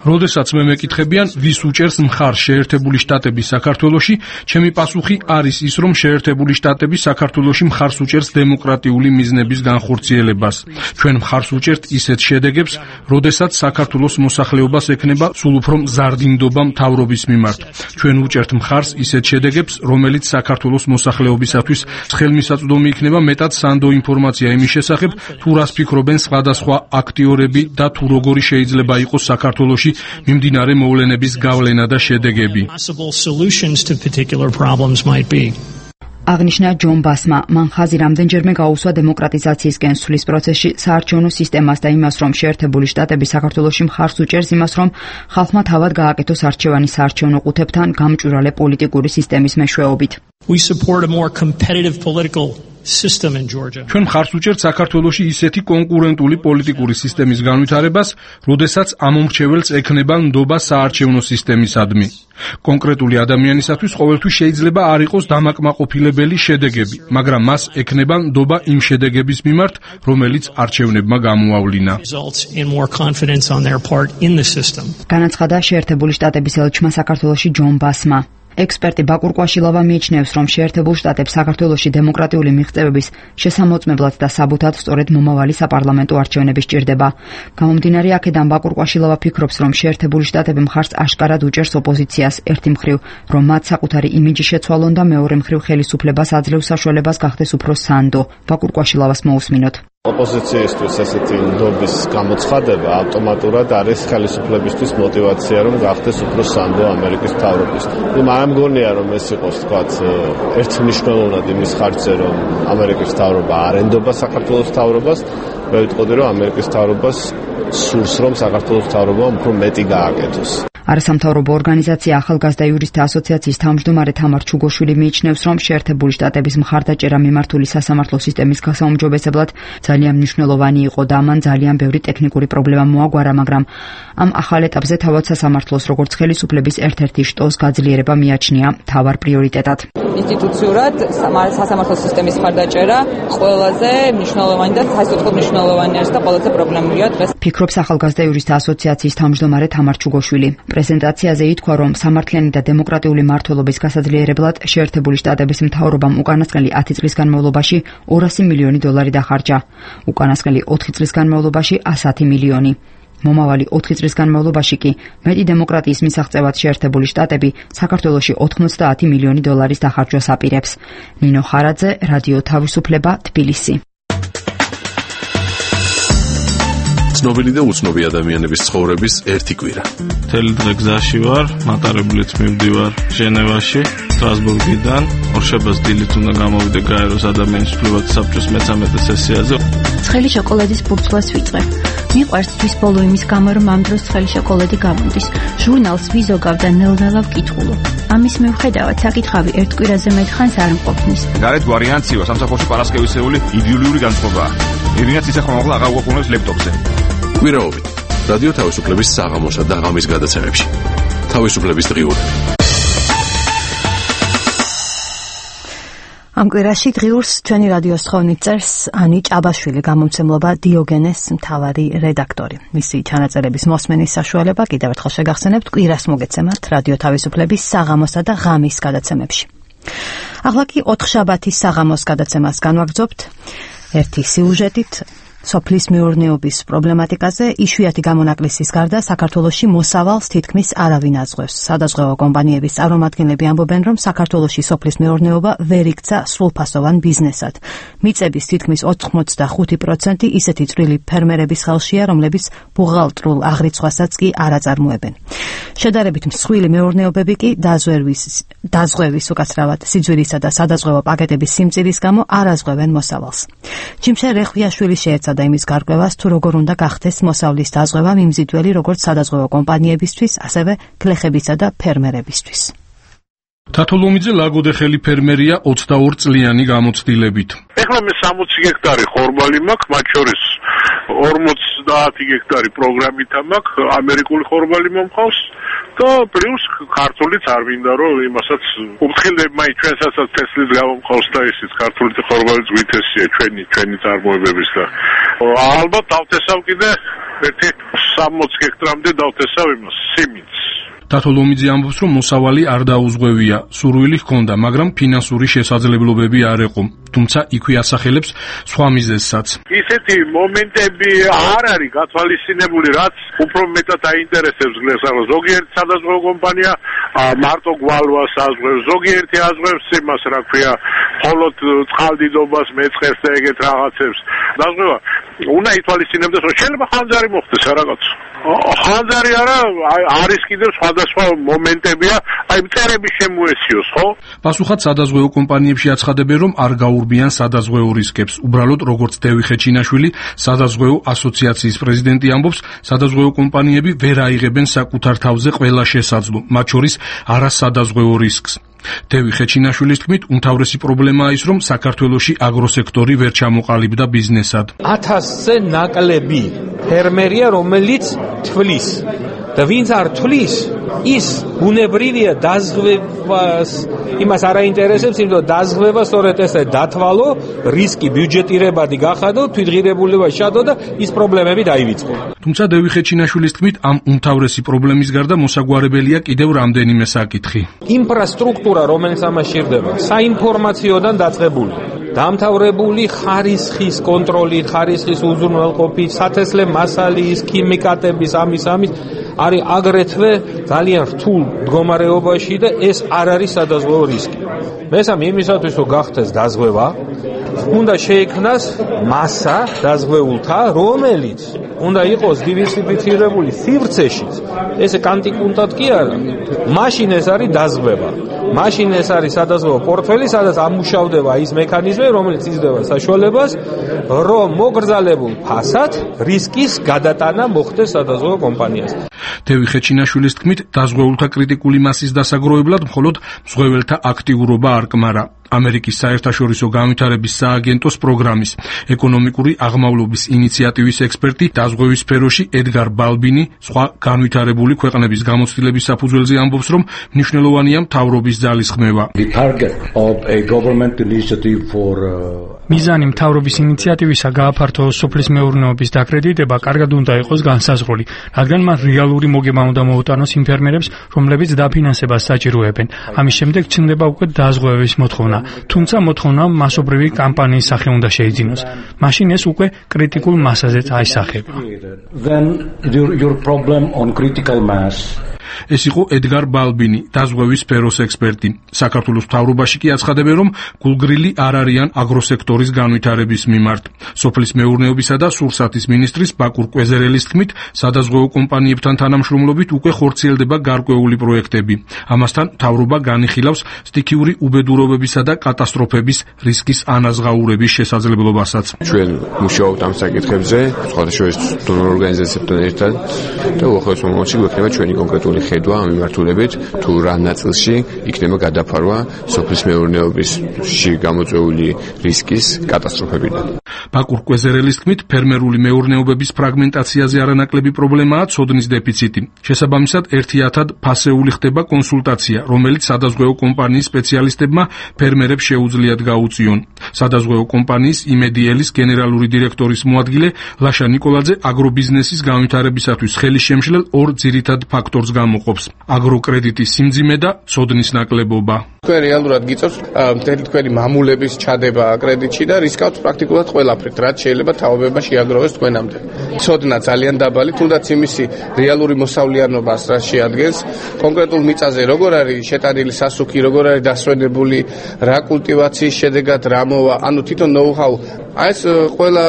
როდესაც მე მეკითხებიან, ვის უჭერს მხარს შეერთებული შტატების საქართველოში, ჩემი პასუხი არის ის, რომ შეერთებული შტატები საქართველოში მხარს უჭერს დემოკრატიული მიზნების განხორციელებას. ჩვენ მხარს უჭერთ ისეთ შედეგებს, როდესაც საქართველოს მოსახლეობას ექნება სულ უფრო მზარდი ნდობა მთავრობის მიმართ. ჩვენ უჭერთ მხარს ისეთ შედეგებს, რომელიც საქართველოს მოსახლეობისათვის ხელმისაწვდომი იქნება მეტად სანდო ინფორმაცია იმის შესახებ, თუ რას ფიქრობენ სხვადასხვა აქტიორები და თუ როგორი შეიძლება იყოს საქართველოში მიმდინარე მოვლენების გავლენა და შედეგები. აღნიშნა ჯონ ბასმა, მან ხაზი რამდენჯერმე გაუსვა დემოკრატიზაციისკენ სვლის პროცესში საარჩევნო სისტემას და იმას, რომ შეერთებული შტატები საქართველოში მხარს უჭერს იმას, რომ ხალხმა თავად გააკეთოს არჩევანი საარჩევნო ყუთებთან გამჭვირვალე პოლიტიკური სისტემის მეშვეობით. ჩვენ მხარს უჭერთ საქართველოში ისეთი კონკურენტული პოლიტიკური სისტემის განვითარებას, როდესაც ამომრჩეველს ექნება ნდობა საარჩევნო სისტემისადმი. კონკრეტული ადამიანისათვის ყოველთვის შეიძლება არ იყოს დამაკმაყოფილებელი შედეგები, მაგრამ მას ექნება ნდობა იმ შედეგების მიმართ, რომელიც არჩევნებმა გამოავლინა. განაცხადა შეერთებული შტატების ელჩმა საქართველოში ჯონ ბასმა. ექსპერტი ბაკურ კვაშილავა მიიჩნევს, რომ შეერთებულ შტატებს საქართველოში დემოკრატიული მიღწევების შესამოწმებლად და საბუთად სწორედ მომავალი საპარლამენტო არჩევნები სჭირდება. გამომდინარე აქედან ბაკურ კვაშილავა ფიქრობს, რომ შეერთებული შტატები მხარს აშკარად უჭერს ოპოზიციას, ერთი მხრივ, რომ მათ საკუთარი იმიჯი შეცვალონ და მეორე მხრივ ხელისუფლებას აძლევს საშუალებას გახდეს უფრო სანდო. ბაკურ კვაშილავას მოусმინოთ. ოპოზიციისთვის ესეთი ნდობის გამოცხადება ავტომატურად არის ხელისუფლებისთვის мотиваცია, რომ გახდეს უფრო სანდო ამერიკის მთავრობის. მაგრამ მგონია, რომ ეს იყოს თქვათ ერთი მნიშვნელოვნად იმის ხარჯზე, რომ ამერიკის მთავრობა არ ენდობა საქართველოს მთავრობას, მე ვიტყოდი, რომ ამერიკის მთავრობას სურს, რომ საქართველოს მთავრობამ უფრო მეტი გააკეთოს. არასამთავრობო ორგანიზაცია ახალგაზრდა იურისტთა ასოციაციის თავმჯდომარე თამარ ჩუგოშვილი მიიჩნევს, რომ შეერთებული შტატების მხარდაჭერა მიმართული სასამართლო სისტემის გასაუმჯობესებლად ძალიან მნიშვნელოვანი იყო და ამან ძალიან ბევრი ტექნიკური პრობლემა მოაგვარა, მაგრამ ამ ახალ ეტაპზე თავად სასამართლოს როგორც ხელისუფლების ერთ-ერთი შტოს გაძლიერება მიაჩნია მთავარ პრიორიტეტად. ინსტიტუციურად სასამართლო სისტემის მხარდაჭერა ყველაზე მნიშვნელოვანი და საერთოდ მნიშვნელოვანი არის და ყველაზე პრობლემურია დღეს. ფიქრობს ახალგაზრდა იურისტთა ასოციაციის თავმჯდომარე თამარ ჩუგოშვილი. პრეზენტაციაზე ითქვა, რომ სამართლიანი და დემოკრატიული მმართველობის გასაძლიერებლად შეერთებული შტატების მთავრობამ უკანასკნელი ათი წლის განმავლობაში ორასი მილიონი დოლარი დახარჯა. უკანასკნელი ოთხი წლის განმავლობაში ასათი მილიონი. მომავალი ოთხი წლის განმავლობაში კი მეტი დემოკრატიის მისაღწევად შეერთებული შტატები საქართველოში ოთხმოცდაათი მილიონი დოლარის დახარჯვას აპირებს. ნინო ხარაძე, რადიო თავისუფლება, თბილისი. ცნობილი და უცნობი ადამიანების ცხოვრების ერთი კვირა. მთელი დღე გზაში ვარ, მატარებლით მივდივარ ჟენევაში, სტრასბურგიდან, ორშაბათს დილით უნდა გამოვიდე გაეროს ადამიანის უფლებათა საბჭოს მეცამეტე სესიაზე. ცხელი შოკოლადის ბურთულას ვიწყებ. მიყვარს თვის ბოლო იმის გამო, რომ ამ დროს ცხელი შოკოლადი გამოდის. ჟურნალს ვიზოგავ და ნელ-ნელა ვკითხულობ. ამის მიუხედავად საკითხავი ერთ კვირაზე მეტხანს არ მყოფნის. გარეთ ვარიანციო სამსახურში პარასკევისეული იდეოლოგიური განწყობაა. ირინაც ისახმამაღლა აღარ გვაქვს ლეპტოპზე. კვირაობით რადიო თავისუფლების საღამოსა და ღამის გადაცემებში. თავისუფლების დღიურები. ამ კვირაში დღიურს ჩვენი რადიოს ხოვნით წერს ანი ჭაბაშვილი, გამომცემლობა დიოგენეს მთავარი რედაქტორი. მისი ჩანაწერების მოსმენის საშუალება კიდევ ერთხელ შეგახსენებთ კვირას მოგეცემათ რადიო თავისუფლების საღამოსა და ღამის გადაცემებში. ახლა კი ოთხშაბათის საღამოს გადაცემას განვაგრძობთ ერთი სიუჟეტით. სოფლის მეურნეობის პრობლემატიკაზე იშვიათი გამონაკლისის გარდა საქართველოში მოსავალს თითქმის არავინ აზღვევს. სადაზღვევო კომპანიების წარმომადგენლები ამბობენ, რომ საქართველოში სოფლის მეურნეობა ვერ იქცა სრულფასოვან ბიზნესად. მიწების თითქმის ოცდახუთი პროცენტი ისეთი წვრილი ფერმერების ხელშია, რომლებიც ბუღალტრულ აღრიცხვასაც კი არ აწარმოებენ. შედარებით მსხვილი მეურნეობები კი დაზღვევის დაზღვევის უკაცრავად სიძვირისა და სადაზღვევო პაკეტების სიმწირის გამო არ აზღვევენ მოსავალს. ჯიმშე რეხვიაშვილი შეეცადა და იმის გარკვევას, თუ როგორ უნდა გახდეს მოსავლის დაზღვევა მიმზიდველი როგორც სადაზღვევო კომპანიებისთვის, ასევე გლეხებისა და ფერმერებისთვის. თათოლომიძე ლაგოდეხელი ფერმერია ოცდაორი წლიანი გამოცდილებით. ეხლა მე სამოცი გექტარი ხორბალი მაქვს, მათ შორის ორმოცდაათი გექტარი პროგრამითა მაქვს, ამერიკული ხორბალი მომყავს და პლუს ქართულიც არ მინდა რომ იმასაც უფრთხილდება მაინც ჩვენსაც თესლის გამომყავს და ისიც ქართული ხორბალიც ვითესია ჩვენი ჩვენი წარმოებების და ალბათ დავთესავ კიდე ერთი სამოცი გექტრამდე დავთესავ იმას სიმინდს. თათოლომიძე ამბობს, რომ მოსავალი არ დაუზღვევია, სურვილი ჰქონდა, მაგრამ ფინანსური შესაძლებლობები არ იყო. თუმცა იქვე ასახელებს სხვა მიზეზსაც. ისეთი მომენტები არ არის გათვალისწინებული, რაც უფრო მეტად აინტერესებს გლეხს. ზოგიერთი სადაზღვევო კომპანია მარტო გვალვას აზღვევს, ზოგიერთი აზღვევს იმას, რა ქვია, მხოლოდ წყალდიდობას, მეწყერს და ეგეთ რაღაცებს. დაზღვევა უნდა ითვალისწინებდეს, რომ შეიძლება ხანძარი მოხდეს რაღაც. ხანძარი არა, არის კიდევ სხვადასხვა მომენტებია, აი მწერების შემოესიოს, ხო? პასუხად სადაზღვევო კომპანიებში აცხადებენ, რომ არ გაურბიან სადაზღვევო რისკებს. უბრალოდ როგორც დევი ხეჩინაშვილი, სადაზღვევო ასოციაციის პრეზიდენტი ამბობს, სადაზღვევო კომპანიები ვერ აიღებენ საკუთარ თავზე ყველა შესაძლო, მათ შორის არასადაზღვევო რისკს. დევი ხეჩინაშვილის თქმით, უმთავრესი პრობლემაა ის, რომ საქართველოში აგროსექტორი ვერ ჩამოყალიბდა ბიზნესად. ათასზე ნაკლები ფერმერია, რომელიც თვლის და ვინც არ თვლის, ის ბუნებრივია დაზღვევას იმას არ აინტერესებს, იმიტომ რომ დაზღვევა სწორედ ესე დათვალო, რისკი ბიუჯეტირებადი გახადო, თვითღირებულება შადო და ის პრობლემები დაივიწყო. თუმცა დევი ხეჩინაშვილის თქმით, ამ უმთავრესი პრობლემის გარდა მოსაგვარებელია კიდევ რამდენიმე საკითხი. ინფრასტრუქტურა, რომელიც ამას ჭირდება, საინფორმაციოდან დაწყებული, დამთავრებული ხარისხის კონტროლი, ხარისხის უზრუნველყოფით, სათესლე მასალის, ქიმიკატების, ამის ამის არის აგრეთვე ძალიან რთულ მდგომარეობაში და ეს არ არის სადაზღვევო რისკი. მესამე, იმისათვის რომ გახდეს დაზღვევა, უნდა შეიქმნას მასა დაზღვეულთა, რომელიც უნდა იყოს დივერსიფიცირებული სივრცეშიც. ესე კანტიკუნტად კი არა. მაშინ ეს არის დაზღვევა. მაშინ ეს არის სადაზღვევო პორტფელი, სადაც ამუშავდება ის მექანიზმი, რომელიც იძლევა საშუალებას, რომ მოგრძალებულ ფასად რისკის გადატანა მოხდეს სადაზღვევო კომპანიას. დევი ხეჩინაშვილის თქმით, დაზღვეულთა კრიტიკული მასის დასაგროვებლად მხოლოდ მზღვეველთა აქტიურობა არ კმარა. ამერიკის საერთაშორისო განვითარების სააგენტოს პროგრამის ეკონომიკური აღმავლობის ინიციატივის ექსპერტი დაზღვევის სფეროში ედგარ ბალბინი სხვა განვითარებული ქვეყნების გამოცდილების საფუძველზე ამბობს, რომ მნიშვნელოვანია მთავრობის ძალისხმევა. მიზანი მთავრობის ინიციატივისა გააფართოოს სოფლის მეურნეობის დაკრედიტება კარგად უნდა იყოს განსაზღვრული, რადგან მან რეალური მოგება უნდა მოუტანოს იმ ფერმერებს, რომლებიც დაფინანსებას საჭიროებენ. ამის შემდეგ ჩნდება უკვე დაზღვევის მოთხოვნა. თუმცა მოთხოვნა მასობრივი კამპანიის სახე უნდა შეიძინოს. მაშინ ეს უკვე კრიტიკულ მასაზეც აისახება. ეს იყო ედგარ ბალბინი, დაზღვევის სფეროს ექსპერტი. საქართველოს მთავრობაში კი აცხადებენ, რომ გულგრილი არ არიან აგროსექტორის განვითარების მიმართ. სოფლის მეურნეობისა და სურსათის მინისტრის ბაკურ კვეზერელის თქმით, სადაზღვეო კომპანიებთან თანამშრომლობით უკვე ხორციელდება გარკვეული პროექტები. ამასთან მთავრობა განიხილავს სტიქიური უბედურობებისა და კატასტროფების რისკის ანაზღაურების შესაძლებლობასაც. ჩვენ მუშაობთ ამ საკითხებზე, სხვადასხვა დონორ ორგანიზაციებთან ერთად და უახლოეს მომავალში გვექნება ჩვენი კონკრეტული ხედვა ამ მიმართულებით, თუ რა ნაწილში იქნება გადაფარვა სოფლის მეურნეობისში გამოწვეული რისკის კატასტროფებიდან. ბაკურ კვეზერელის თქმით, ფერმერული მეურნეობების ფრაგმენტაციაზე არანაკლები პრობლემაა ცოდნის დეფიციტი. შესაბამისად, ერთიათად ფასეული ხდება კონსულტაცია, რომელიც სადაზღვეო კომპანიის სპეციალისტებმა ფერმერებს შეუძლიათ გაუწიონ. სადაზღვეო კომპანიის იმედიელის გენერალური დირექტორის მოადგილე ლაშა ნიკოლაძე აგრობიზნესის განვითარებისათვის ხელისშემშლელ ორ ძირითად ფაქტორს გამოყოფს: აგროკრედიტის სიმძიმე და ცოდნის ნაკლებობა. თქვენ რეალურად გიწევთ მთელი თქვენი მამულების ჩადება კრედიტში და რისკავთ პრაქტიკულად ყველაფრით, რაც შეიძლება თაობება შეაგროვოს თქვენამდე. ცოდნა ძალიან დაბალი, თუნდაც იმისი რეალური მოსავლიანობას რაც შეადგენს, კონკრეტულ მიწაზე როგორ არის შეტანილი სასუქი, როგორ არის დასვენებული, რა კულტივაციის შედეგად რა მოვა, ანუ თვითონ ნოუ-ჰაუ. აი ეს ყველა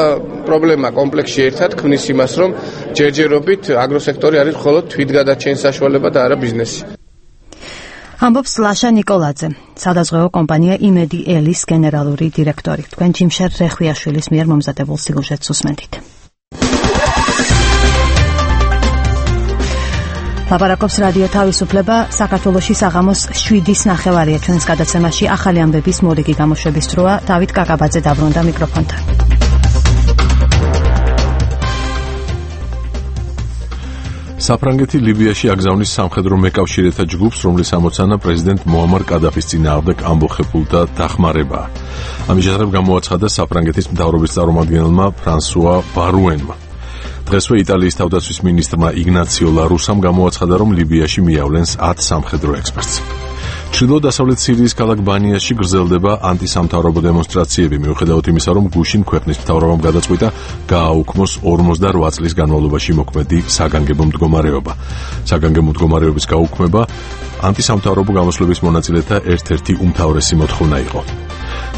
პრობლემა კომპლექსში ერთად ქმნის იმას, რომ ჯერჯერობით აგროსექტორი არის მხოლოდ თვითგადარჩენის საშუალება და არა ბიზნესი. ამბობს ლაშა ნიკოლაძე, სადაზღვეო კომპანია იმედი ელის გენერალური დირექტორი. თქვენ ჯიმშერ რეხვიაშვილის მიერ მომზადებულ სიუჟეტს უსმენთ. ლაპარაკობს რადიო თავისუფლება. საქართველოში საღამოს შვიდის ნახევარია ჩვენს გადაცემაში ახალი ამბების მორიგი გამოშვების დროა. დავით კაკაბაძე დაბრუნდა მიკროფონთან. საფრანგეთი ლიბიაში აგზავნის სამხედრო მეკავშირეთა ჯგუფს, რომლის ამოცანა პრეზიდენტ მოამარ კადაფის წინააღმდეგ ამბოხებულთა დახმარებაა. ამის შესახებ გამოაცხადა საფრანგეთის მთავრობის წარმომადგენელმა ფრანსუა ბარუენმა. დღესვე იტალიის თავდაცვის მინისტრმა იგნაციო ლარუსამ გამოაცხადა, რომ ლიბიაში მიავლენს ათ სამხედრო ექსპერტს. ჩრდილო-დასავლეთ სირიის ქალაქ ბანიაში გრძელდება ანტისამთავრობო დემონსტრაციები, მიუხედავად იმისა, რომ გუშინ ქვეყნის მთავრობამ გადაწყვიტა გააუქმოს ორმოცდაროც წლის განმავლობაში მოქმედი საგანგებო მდგომარეობა. საგანგებო მდგომარეობის გაუქმება ანტისამთავრობო გამოსვლების მონაწილეთა ერთ-ერთი უმთავრესი მოთხოვნა იყო.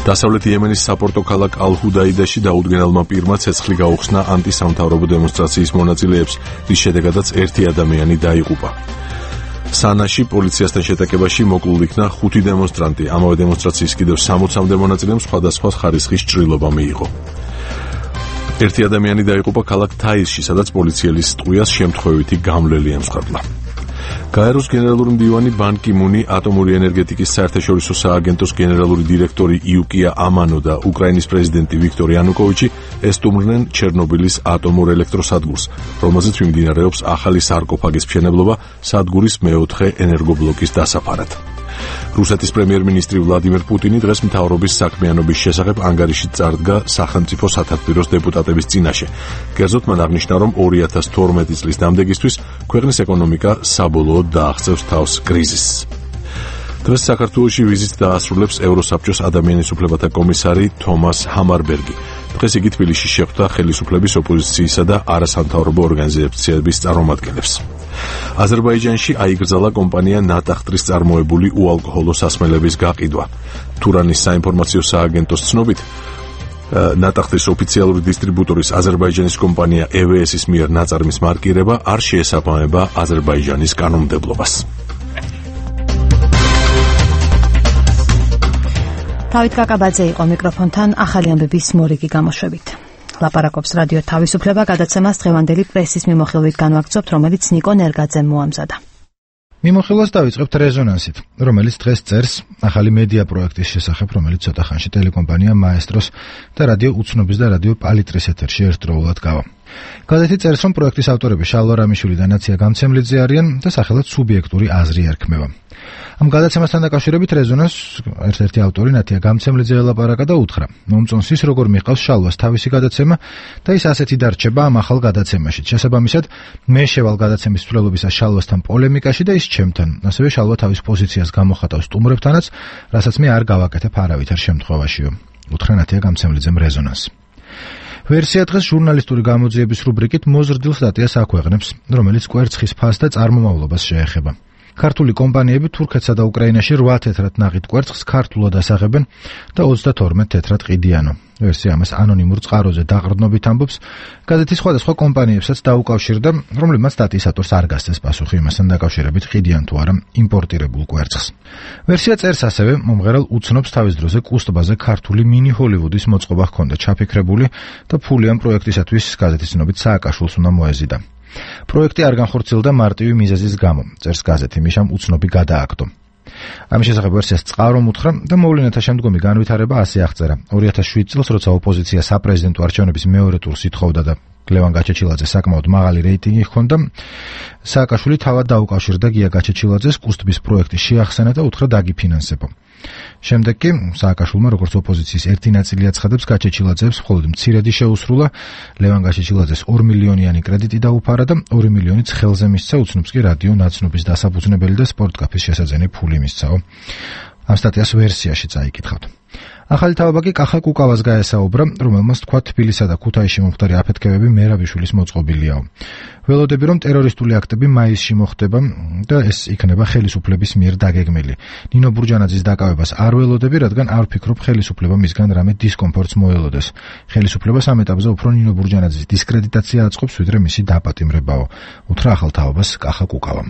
დასავლეთ იემენის საპორტო ქალაქ ალ-ჰუდაიდაში დაუდგენელმა პირმა ცეცხლი გაუხსნა ანტისამთავრობო დემონსტრაციის მონაწილეებს, რის შედეგადაც ერთი ადამიანი დაიღუპა. სანაში პოლიციასთან შეტაკებაში მოკლულ იქნა ხუთი დემონსტრანტი. ამავე დემონსტრაციის კიდევ სამოცამდე მონაწილემ სხვადასხვა ხარისხის ჭრილობა მიიღო. ერთი ადამიანი დაიღუპა ქალაქ თაისში, სადაც პოლიციელის ტყვიას შემთხვევითი გამლელი ემსხვერპლა. გაეროს გენერალური მდივანი ბან კი მუნი, ატომური ენერგეტიკის საერთაშორისო სააგენტოს გენერალური დირექტორი იუკია ამანო და უკრაინის პრეზიდენტი ვიქტორ იანუკოვიჩი ესტუმრნენ ჩერნობილის ატომურ ელექტროსადგურს, რომელზეც მიმდინარეობს ახალი სარკოფაგის მშენებლობა სადგურის მეოთხე ენერგობლოკის დასაფარად. რუსეთის პრემიერ-მინისტრი ვლადიმერ პუტინი დღეს მთავრობის საქმიანობის შესახებ ანგარიში წარდგა სახელმწიფო სათათბიროს დეპუტატების წინაშე. კერძოდ მან აღნიშნა, რომ ორი ათას თორმეტი წლის დამდეგისთვის ქვეყნის ეკონომიკა საბოლოოდ დააღწევს თავს კრიზისს. დღეს საქართველოში ვიზიტს დაასრულებს ევროსაბჭოს ადამიანის უფლებათა კომისარი თომას ჰამარბერგი. დღეს იგი თბილისში შეხვდა ხელისუფლების, ოპოზიციისა და არასამთავრობო ორგანიზაციების წარმომადგენლებს. აზერბაიჯანში აიგრძალა კომპანია ნატახტრის წარმოებული უალკოჰოლო სასმელების გაყიდვა. თურანის საინფორმაციო სააგენტოს ცნობით, ნატახტრის ოფიციალური დისტრიბუტორის აზერბაიჯანის კომპანია ე ვე ეს-ის მიერ ნაწარმის მარკირება არ შეესაბამება აზერბაიჯანის კანონმდებლობას. დავით კაკაბაძე იყო მიკროფონთან ახალი ამბების მორიგი გამოშვებით. ლაპარაკობს რადიო თავისუფლება. გადაცემას დღევანდელი პრესის მიმოხილვით განვაგრძობთ, რომელიც ნიკო ნერგაძემ მოამზადა. მიმოხილვას დავიწყებთ რეზონანსით, რომელიც დღეს წერს ახალი მედია პროექტის შესახებ, რომელიც ცოტა ხანში ტელეკომპანია მაესტროს და რადიო უცნობის და რადიო პალიტრის ეთერში ერთდროულად გავა. გაზეთი წერს, რომ პროექტის ავტორები შალვა რამიშვილი და ნაცია გამცემლიძე არიან და სახელად სუბიექტური აზრი ერქმევა. ამ გადაცემასთან დაკავშირებით რეზონანს ერთ-ერთი ავტორი ნათია გამცემლიძე ელაპარაკა და უთხრა, მომწონს ის, როგორ მიჰყავს შალვას თავისი გადაცემა და ის ასეთი დარჩება ამ ახალ გადაცემაში. შესაბამისად, მე შევალ გადაცემის მსვლელობისას შალვასთან პოლემიკაში და ის ჩემთან. ასევე შალვა თავის პოზიციას გამოხატავს სტუმრებთანაც, რასაც მე არ გავაკეთებ არავითარ შემთხვევაშიო. უთხრა ნათია გამცემლიძემ რეზონანს. ვერსია დღეს ჟურნალისტური გამოძიების რუბრიკით მოზრდილ სტატიას აქვეყნებს, რომელიც კვერცხის ფასს და წარმომავლობას შეეხება. ქართული კომპანიები თურქეთსა და უკრაინაში რვა თეთრად ნაყიდ კვერცხს ქართულად ასაღებენ და ოცდათორმეტ თეთრად ყიდიანო. ვერსია ამას ანონიმურ წყაროზე დაყრდნობით ამბობს, გაზეთის სხვადასხვა კომპანიებსაც დაუკავშირდა, რომლებმაც სტატიის ავტორს არ გასცეს პასუხი იმასთან დაკავშირებით ყიდიან თუ არა იმპორტირებულ კვერცხს. ვერსია წერს ასევე, მომღერალ უცნობს თავის დროზე კუსტბაზე ქართული მინი ჰოლივუდის მოწყობა ჰქონდა ჩაფიქრებული და ფული ამ პროექტისათვის გაზეთის ცნობით სააკაშვილს უნდა მოეზიდა. პროექტი არ განხორციელდა მარტივი მიზეზის გამო, წერს გაზეთი, მიშამ უცნობი გადააგდო. ამის შესახებ ვერსიას წყარო უთხრა და მოვლენათა შემდგომი განვითარება ასე აღწერა. ორი ათას შვიდ წელს, როცა ოპოზიცია საპრეზიდენტო არჩევნების მეორე ტურს ითხოვდა და ლევან გაჩეჩილაძე საკმაოდ მაღალი რეიტინგი ჰქონდა, სააკაშვილი თავად დაუკავშირდა გია გაჩეჩილაძეს კუსტბის პროექტი შეახსენა და უთხრა დაგიფინანსებო. შემდეგ კი სააკაშვილმა როგორც ოპოზიციის ერთი ნაწილი აცხადებს გაჩეჩილაძეებს მხოლოდ მცირედი შეუსრულა, ლევან გაჩეჩილაძეს ორი მილიონიანი კრედიტი დაუფარა და ორი მილიონიც ხელზე მისცა, უცნობს კი რადიო ნაცნობის დასაფუძნებელი და სპორტკაფის შესაძენი ფული მისცაო. ამ სტატიას ვერსიაში წაიკითხავთ. ახალი თავობა კი კახა კუკავას გაესაუბრა, რომელმაც თქვა თბილისსა და ქუთაისში მომხდარი აფეთქებები მერაბიშვილის მოწყობილიაო. ველოდები, რომ ტერორისტული აქტები მაისში მოხდება და ეს იქნება ხელისუფლების მიერ დაგეგმილი. ნინო ბურჯანაძის დაკავებას არ ველოდები, რადგან არ ვფიქრობ ხელისუფლება მისგან რამე დისკომფორტს მოელოდეს. ხელისუფლებას ამ ეტაპზე უფრო ნინო ბურჯანაძის დისკრედიტაცია აწყობს, ვიდრე მისი დაპატიმრებაო. უთხრა ახალ თავობას კახა კუკავამ.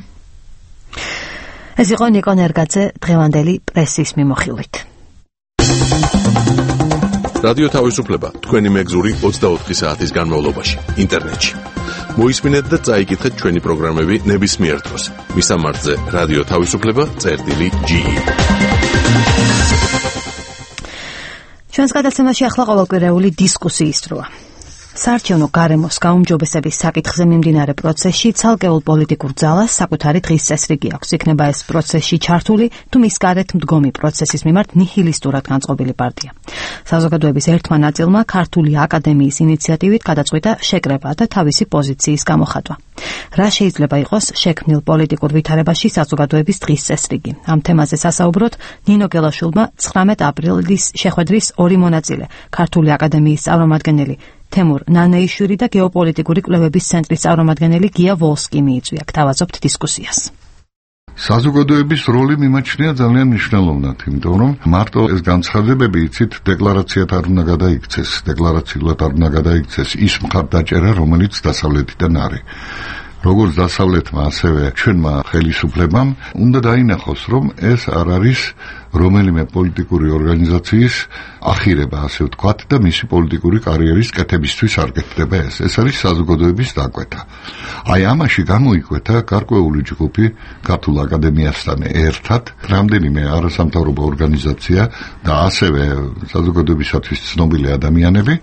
ეს იყო ნიკო ნერგაძე დღევანდელი პრესის მიმოხილვით. რადიო თავისუფლება თქვენი მეგზური ოცდაოთხი საათის განმავლობაში ინტერნეტში. მოისმინეთ და წაიკითხეთ ჩვენი პროგრამები ნებისმიერ დროს. მისამართზე რადიო თავისუფლება წერტილი ჯი. ჩვენს გადაცემაში ახლა ყოველკვირეული დისკუსიის დროა. საარჩევნო გარემოს გაუმჯობესების საკითხზე მიმდინარე პროცესში ცალკეულ პოლიტიკურ ძალას საკუთარი დღის წესრიგი აქვს. იქნება ეს პროცესში ჩართული თუ მის გარეთ მდგომი პროცესის მიმართ ნიჰილისტურად განწყობილი პარტია. საზოგადოების ერთმა ნაწილმა ქართული აკადემიის ინიციატივით გადაწყვიტა შეკრება და თავისი პოზიციის გამოხატვა. რა შეიძლება იყოს შექმნილ პოლიტიკურ ვითარებაში საზოგადოების დღის წესრიგი? ამ თემაზე სასაუბროთ ნინო გელაშვილმა ცხრამეტ აპრილის შეხვედრის ორი მონაწილე, ქართული აკადემიის წარმომადგენელი თემურ ნანეიშვილი და გეოპოლიტიკური კვლევების ცენტრის წარმომადგენელი გია ვოლსკი მიიწვია. გთავაზობთ დისკუსიას. საზოგადოების როლი მიმაჩნია ძალიან მნიშვნელოვნად, იმიტომ რომ მარტო ეს განცხადებები იცით დეკლარაციად არ უნდა გადაიქცეს, დეკლარაციულად არ უნდა გადაიქცეს ის მხარდაჭერა, რომელიც დასავლეთიდან არის. როგორც დასავლეთმა, ასევე ჩვენმა ხელისუფლებამ უნდა დაინახოს, რომ ეს არ არის რომელიმე პოლიტიკური ორგანიზაციის ახირება, ასე ვთქვათ, და მისი პოლიტიკური კარიერის კეთებისთვის არ გეთდება ეს. ეს არის საზოგადოების დაკვეთა. აი ამაში გამოიკვეთა გარკვეული ჯგუფი ქართულ აკადემიასთან ერთად, რამდენიმე არასამთავრობო ორგანიზაცია და ასევე საზოგადოებისათვის ცნობილი ადამიანები,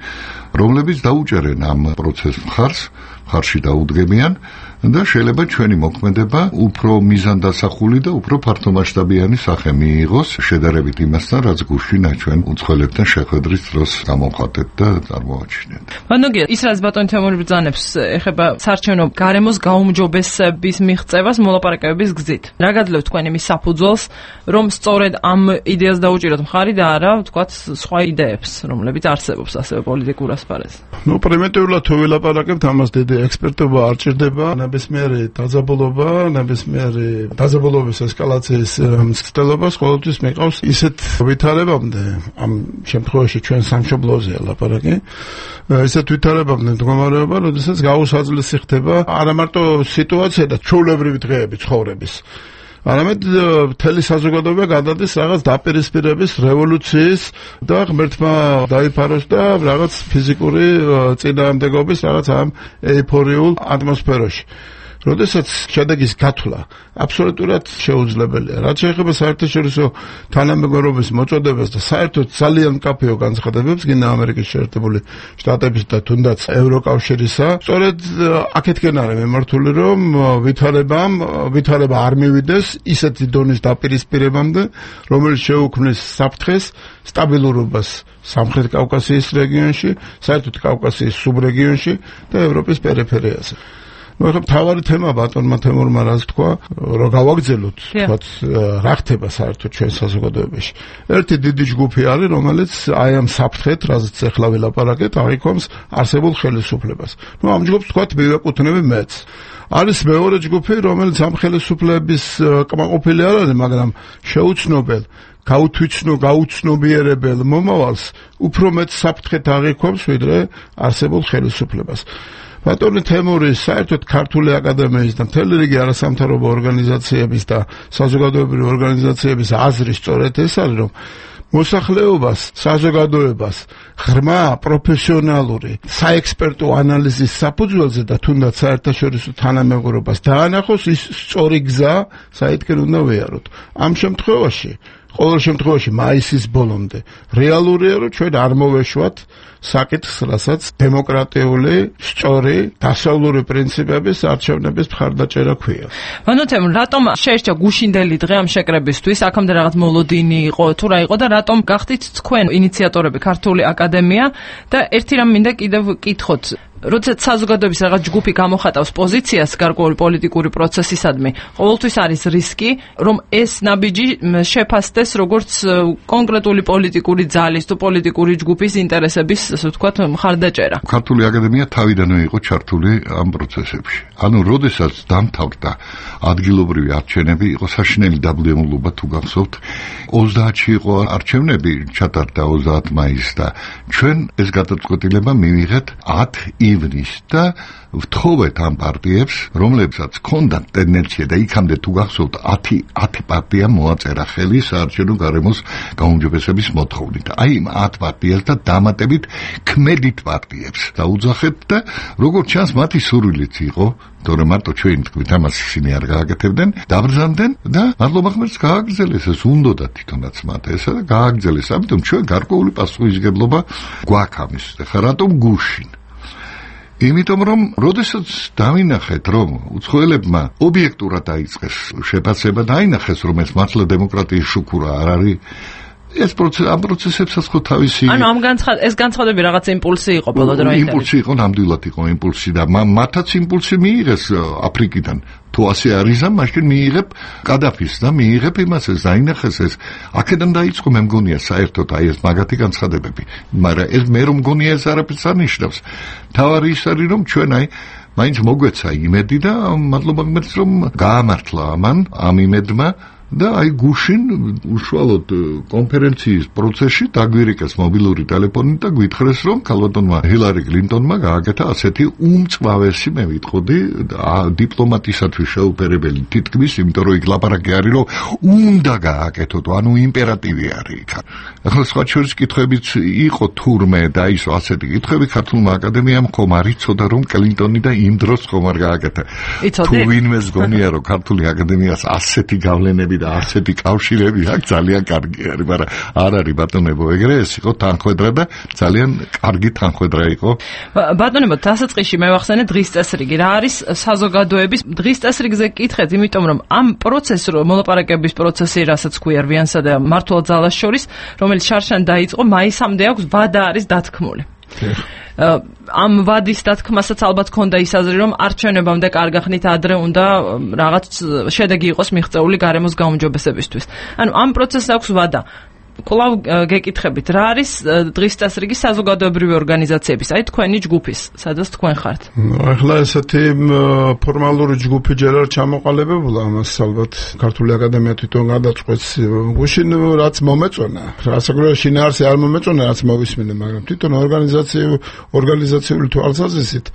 რომლებიც დაუჭერენ ამ პროცესს მხარს, მხარში დაუდგებიან და შეიძლება ჩვენი მოქმედება უფრო მიზანდასახული და უფრო ფართომასშტაბიანი სახე მიიღოს შედარებით იმასთან, რაც გუშინ ჩვენ უცხოელებთან შეხვედრის დროს გამოვხატეთ და წარმოვაჩინეთ. მანდოგია, ის რაც ბატონი თემური ბრძანებს ეხება საარჩევნო გარემოს გაუმჯობესების მიღწევას მოლაპარაკებების გზით. რა გადლევთ თქვენ იმის საფუძველს, რომ სწორედ ამ იდეას დაუჭიროთ მხარი და არა, ვთქვათ, სხვა იდეებს, რომლებიც არსებობს ასევე პოლიტიკურ ასპარეზზე? ნუ პრიმიტიულად თუ ვილაპარაკებთ, ამას დიდი ექსპერტობა არ ჭირდება. ნებისმიერი დაძაბულობა, ნებისმიერი დაძაბულობის ესკალაციის მცდელობას ყოველთვის მიყავს ისეთ ვითარებამდე, ამ შემთხვევაში ჩვენ სამშობლოზეა ლაპარაკი, ისეთ ვითარებამდე მდგომარეობა, როდესაც გაუსაძლესი ხდება არა მარტო სიტუაცია და ჩვეულებრივი დღეები ცხოვრების, არამედ მთელი საზოგადოება გადადის რაღაც დაპირისპირების, რევოლუციის და ღმერთმა დაიფაროს და რაღაც ფიზიკური წინააღმდეგობის რაღაც ამ ეიფორიულ ატმოსფეროში. როდესაც შედეგის გათვლა აბსოლუტურად შეუძლებელია. რაც შეეხება საერთაშორისო თანამეგობრობის მოწოდებას და საერთოდ ძალიან მკაფიო განცხადებებს გინდა ამერიკის შეერთებული შტატების და თუნდაც ევროკავშირისა, სწორედ აქეთკენ არის მიმართული, რომ ვითარებამ ვითარება არ მივიდეს ისეთი დონის დაპირისპირებამდე, რომელიც შეუქმნის საფრთხეს სტაბილურობას სამხრეთ კავკასიის რეგიონში, საერთოდ კავკასიის სუბრეგიონში და ევროპის პერიფერიაზე. ნუ ახლა მთავარი თემა ბატონმა თემურმა რაც თქვა, რომ გავაგრძელოთ, თქვათ, რა ხდება საერთოდ ჩვენ საზოგადოებაში. ერთი დიდი ჯგუფი არის, რომელიც აი ამ საფრთხეთ, რაზეც ახლა ვილაპარაკეთ, აღიქვამს არსებულ ხელისუფლებას. ნუ ამ ჯგუფს თქვათ მივეკუთვნები მეც. არის მეორე ჯგუფი, რომელიც ამ ხელისუფლების კმაყოფილი არ არის, მაგრამ შეუცნობელ გაუთვიცნო, გაუცნობიერებელ მომავალს უფრო მეტ საფრთხეთ აღიქვამს, ვიდრე არსებულ ხელისუფლებას. ბატონი თემური საერთოდ ქართული აკადემიის და მთელი რიგი არასამთავრობო ორგანიზაციების და საზოგადოებრივი ორგანიზაციების აზრი სწორედ ეს არის, რომ მოსახლეობას, საზოგადოებას ღრმა პროფესიონალური საექსპერტო ანალიზის საფუძველზე და თუნდაც საერთაშორისო თანამეგობრობას დაანახოს ის სწორი გზა, საითკენ უნდა ვიაროთ. ამ შემთხვევაში ყოველ შემთხვევაში მაისის ბოლომდე რეალურია, რომ ჩვენ არ მოვეშვათ საკითხს, რასაც დემოკრატიული, სწორი, დასავლური პრინციპების არჩევნების მხარდაჭერა ქვია. ვანოთემ, რატომ შეერჩა გუშინდელი დღე ამ შეკრებისთვის? აქამდე რაღაც მოლოდინი იყო, თუ რა იყო და რატომ გახდით თქვენ ინიციატორები ქართული აკადემია და ერთი რამ მინდა კიდევ კითხოთ. როდესაც საზოგადოების რაღაც ჯგუფი გამოხატავს პოზიციას გარკვეული პოლიტიკური პროცესისადმი, ყოველთვის არის რისკი, რომ ეს ნაბიჯი შეფასდეს როგორც კონკრეტული პოლიტიკური ძალის თუ პოლიტიკური ჯგუფის ინტერესების, ასე ვთქვათ, მხარდაჭერა. ქართული აკადემია თავიდანვე იყო ჩართული ამ პროცესებში. ანუ, როდესაც დამთავრდა ადგილობრივი არჩევნები, იყო საშინელი დაბლემულობა, თუ გახსოვთ, ოცდაათში იყო არჩევნები, ჩატარდა ოცდაათი მაისს და ჩვენ ეს გადაწყვეტილება მივიღეთ ათი ივნის და ვთხოვეთ ამ პარტიებს, რომლებსაც ჰქონდათ ტენდენცია და იქამდე თუ გახსოვთ ათი ათი პარტია მოაწერა ხელი საარჩევნო გარემოს გაუმჯობესების მოთხოვნით. აი იმ ათ პარტიას და დამატებით ქმედით პარტიებს დაუძახეთ და როგორც ჩანს მათი სურვილიც იყო, თორემ მარტო ჩვენი თქმით ამას ისინი არ გააკეთებდნენ, დაბრძანდნენ და მადლობა ღმერთს გააგრძელეს ეს უნდოდა თვითონაც მათ ესა და გააგრძელეს. ამიტომ ჩვენ გარკვეული პასუხისმგებლობა გვაქვს ამის. ეხლა რატომ გუშინ? იმიტომ რომ როდესაც დავინახეთ რომ უცხოელებმა ობიექტურად დაიწყეს შეფასება დაინახეს რომ ეს მართლა დემოკრატიის შუქურა არ არის ეს პროცესი ამ პროცესებსაც ხო თავისი ანუ ამ განცხად ეს განცხადები რაღაც იმპულსი იყო ბოლო დროინდელი იმპულსი იყო ნამდვილად იყო იმპულსი და მათაც იმპულსი მიიღეს აფრიკიდან თუ ასე არის ამ მაშინ მიიღებ კადაფის და მიიღებ იმას ეს დაინახეს ეს აქედან დაიწყო მე მგონია საერთოდ აი ეს მაგათი განცხადებები მაგრამ ეს მე რომ მგონია ეს არაფერს არ ნიშნავს თავარი ის არის რომ ჩვენ აი მაინც მოგვეცა იმედი და მადლობა ღმერთს რომ გაამართლა ამან ამ იმედმა და აი გუშინ უშუალოდ კონფერენციის პროცესში დაგვირეკეს მობილური ტელეფონი და გვითხრეს რომ ქალბატონმა ჰილარი კლინტონმა გააკეთა ასეთი უმწვავესი მე ვიტყოდი დიპლომატისათვის შეუპერებელი თითქმის იმიტომ რომ იქ ლაპარაკი არის რომ უნდა გააკეთოთ ანუ იმპერატივი არის იქ ახლა სხვა შორის კითხვებიც იყო თურმე და ისო ასეთი კითხვები ქართულმა აკადემიამ ხომ არ იცოდა რომ კლინტონი და იმ დროს ხომ არ გააკეთა თუ ვინმეს გონია რომ ქართული აკადემიას ასეთი გავლენები და ასეთი კავშირები აქვს ძალიან კარგი არის, მაგრამ არ არის ბატონებო, ეგრე ეს იყო თანხwebdriver და ძალიან კარგი თანხwebdriver იყო. ბატონებო, დასაწყისში მე ვახსენე დღის წესრიგი. რა არის საზოგადოების დღის წესრიგზე კითხეთ, იმიტომ რომ ამ პროცესს მოლაპარაკების პროცესი, რასაც ქვია რვიანსა და მართლ ძალას შორის, რომელიც შარშან დაიწყო, მაისამდე აქვს ვადა არის დათქმული. ამ ვადის დათქმასაც ალბათ ქონდა ის აზრი რომ არჩევნებამდე კარგახნით ადრე უნდა რაღაც შედეგი იყოს მიღწეული გარემოს გაუმჯობესებისთვის. ანუ ამ პროცესს აქვს ვადა. კვლავ გეკითხებით, რა არის დღის წესრიგი საზოგადოებრივი ორგანიზაციების, აი თქვენი ჯგუფის, სადაც თქვენ ხართ? ახლა ესეთი ფორმალური ჯგუფი ჯერ არ ჩამოყალიბებულა, ამას ალბათ ქართული აკადემია თვითონ გადაწყვეტს. გუშინ რაც მომეწონა, რასაკვირველია შინაარსი არ მომეწონა, რაც მოვისმინე, მაგრამ თვითონ ორგანიზაციული ორგანიზაციული თვალსაზრისით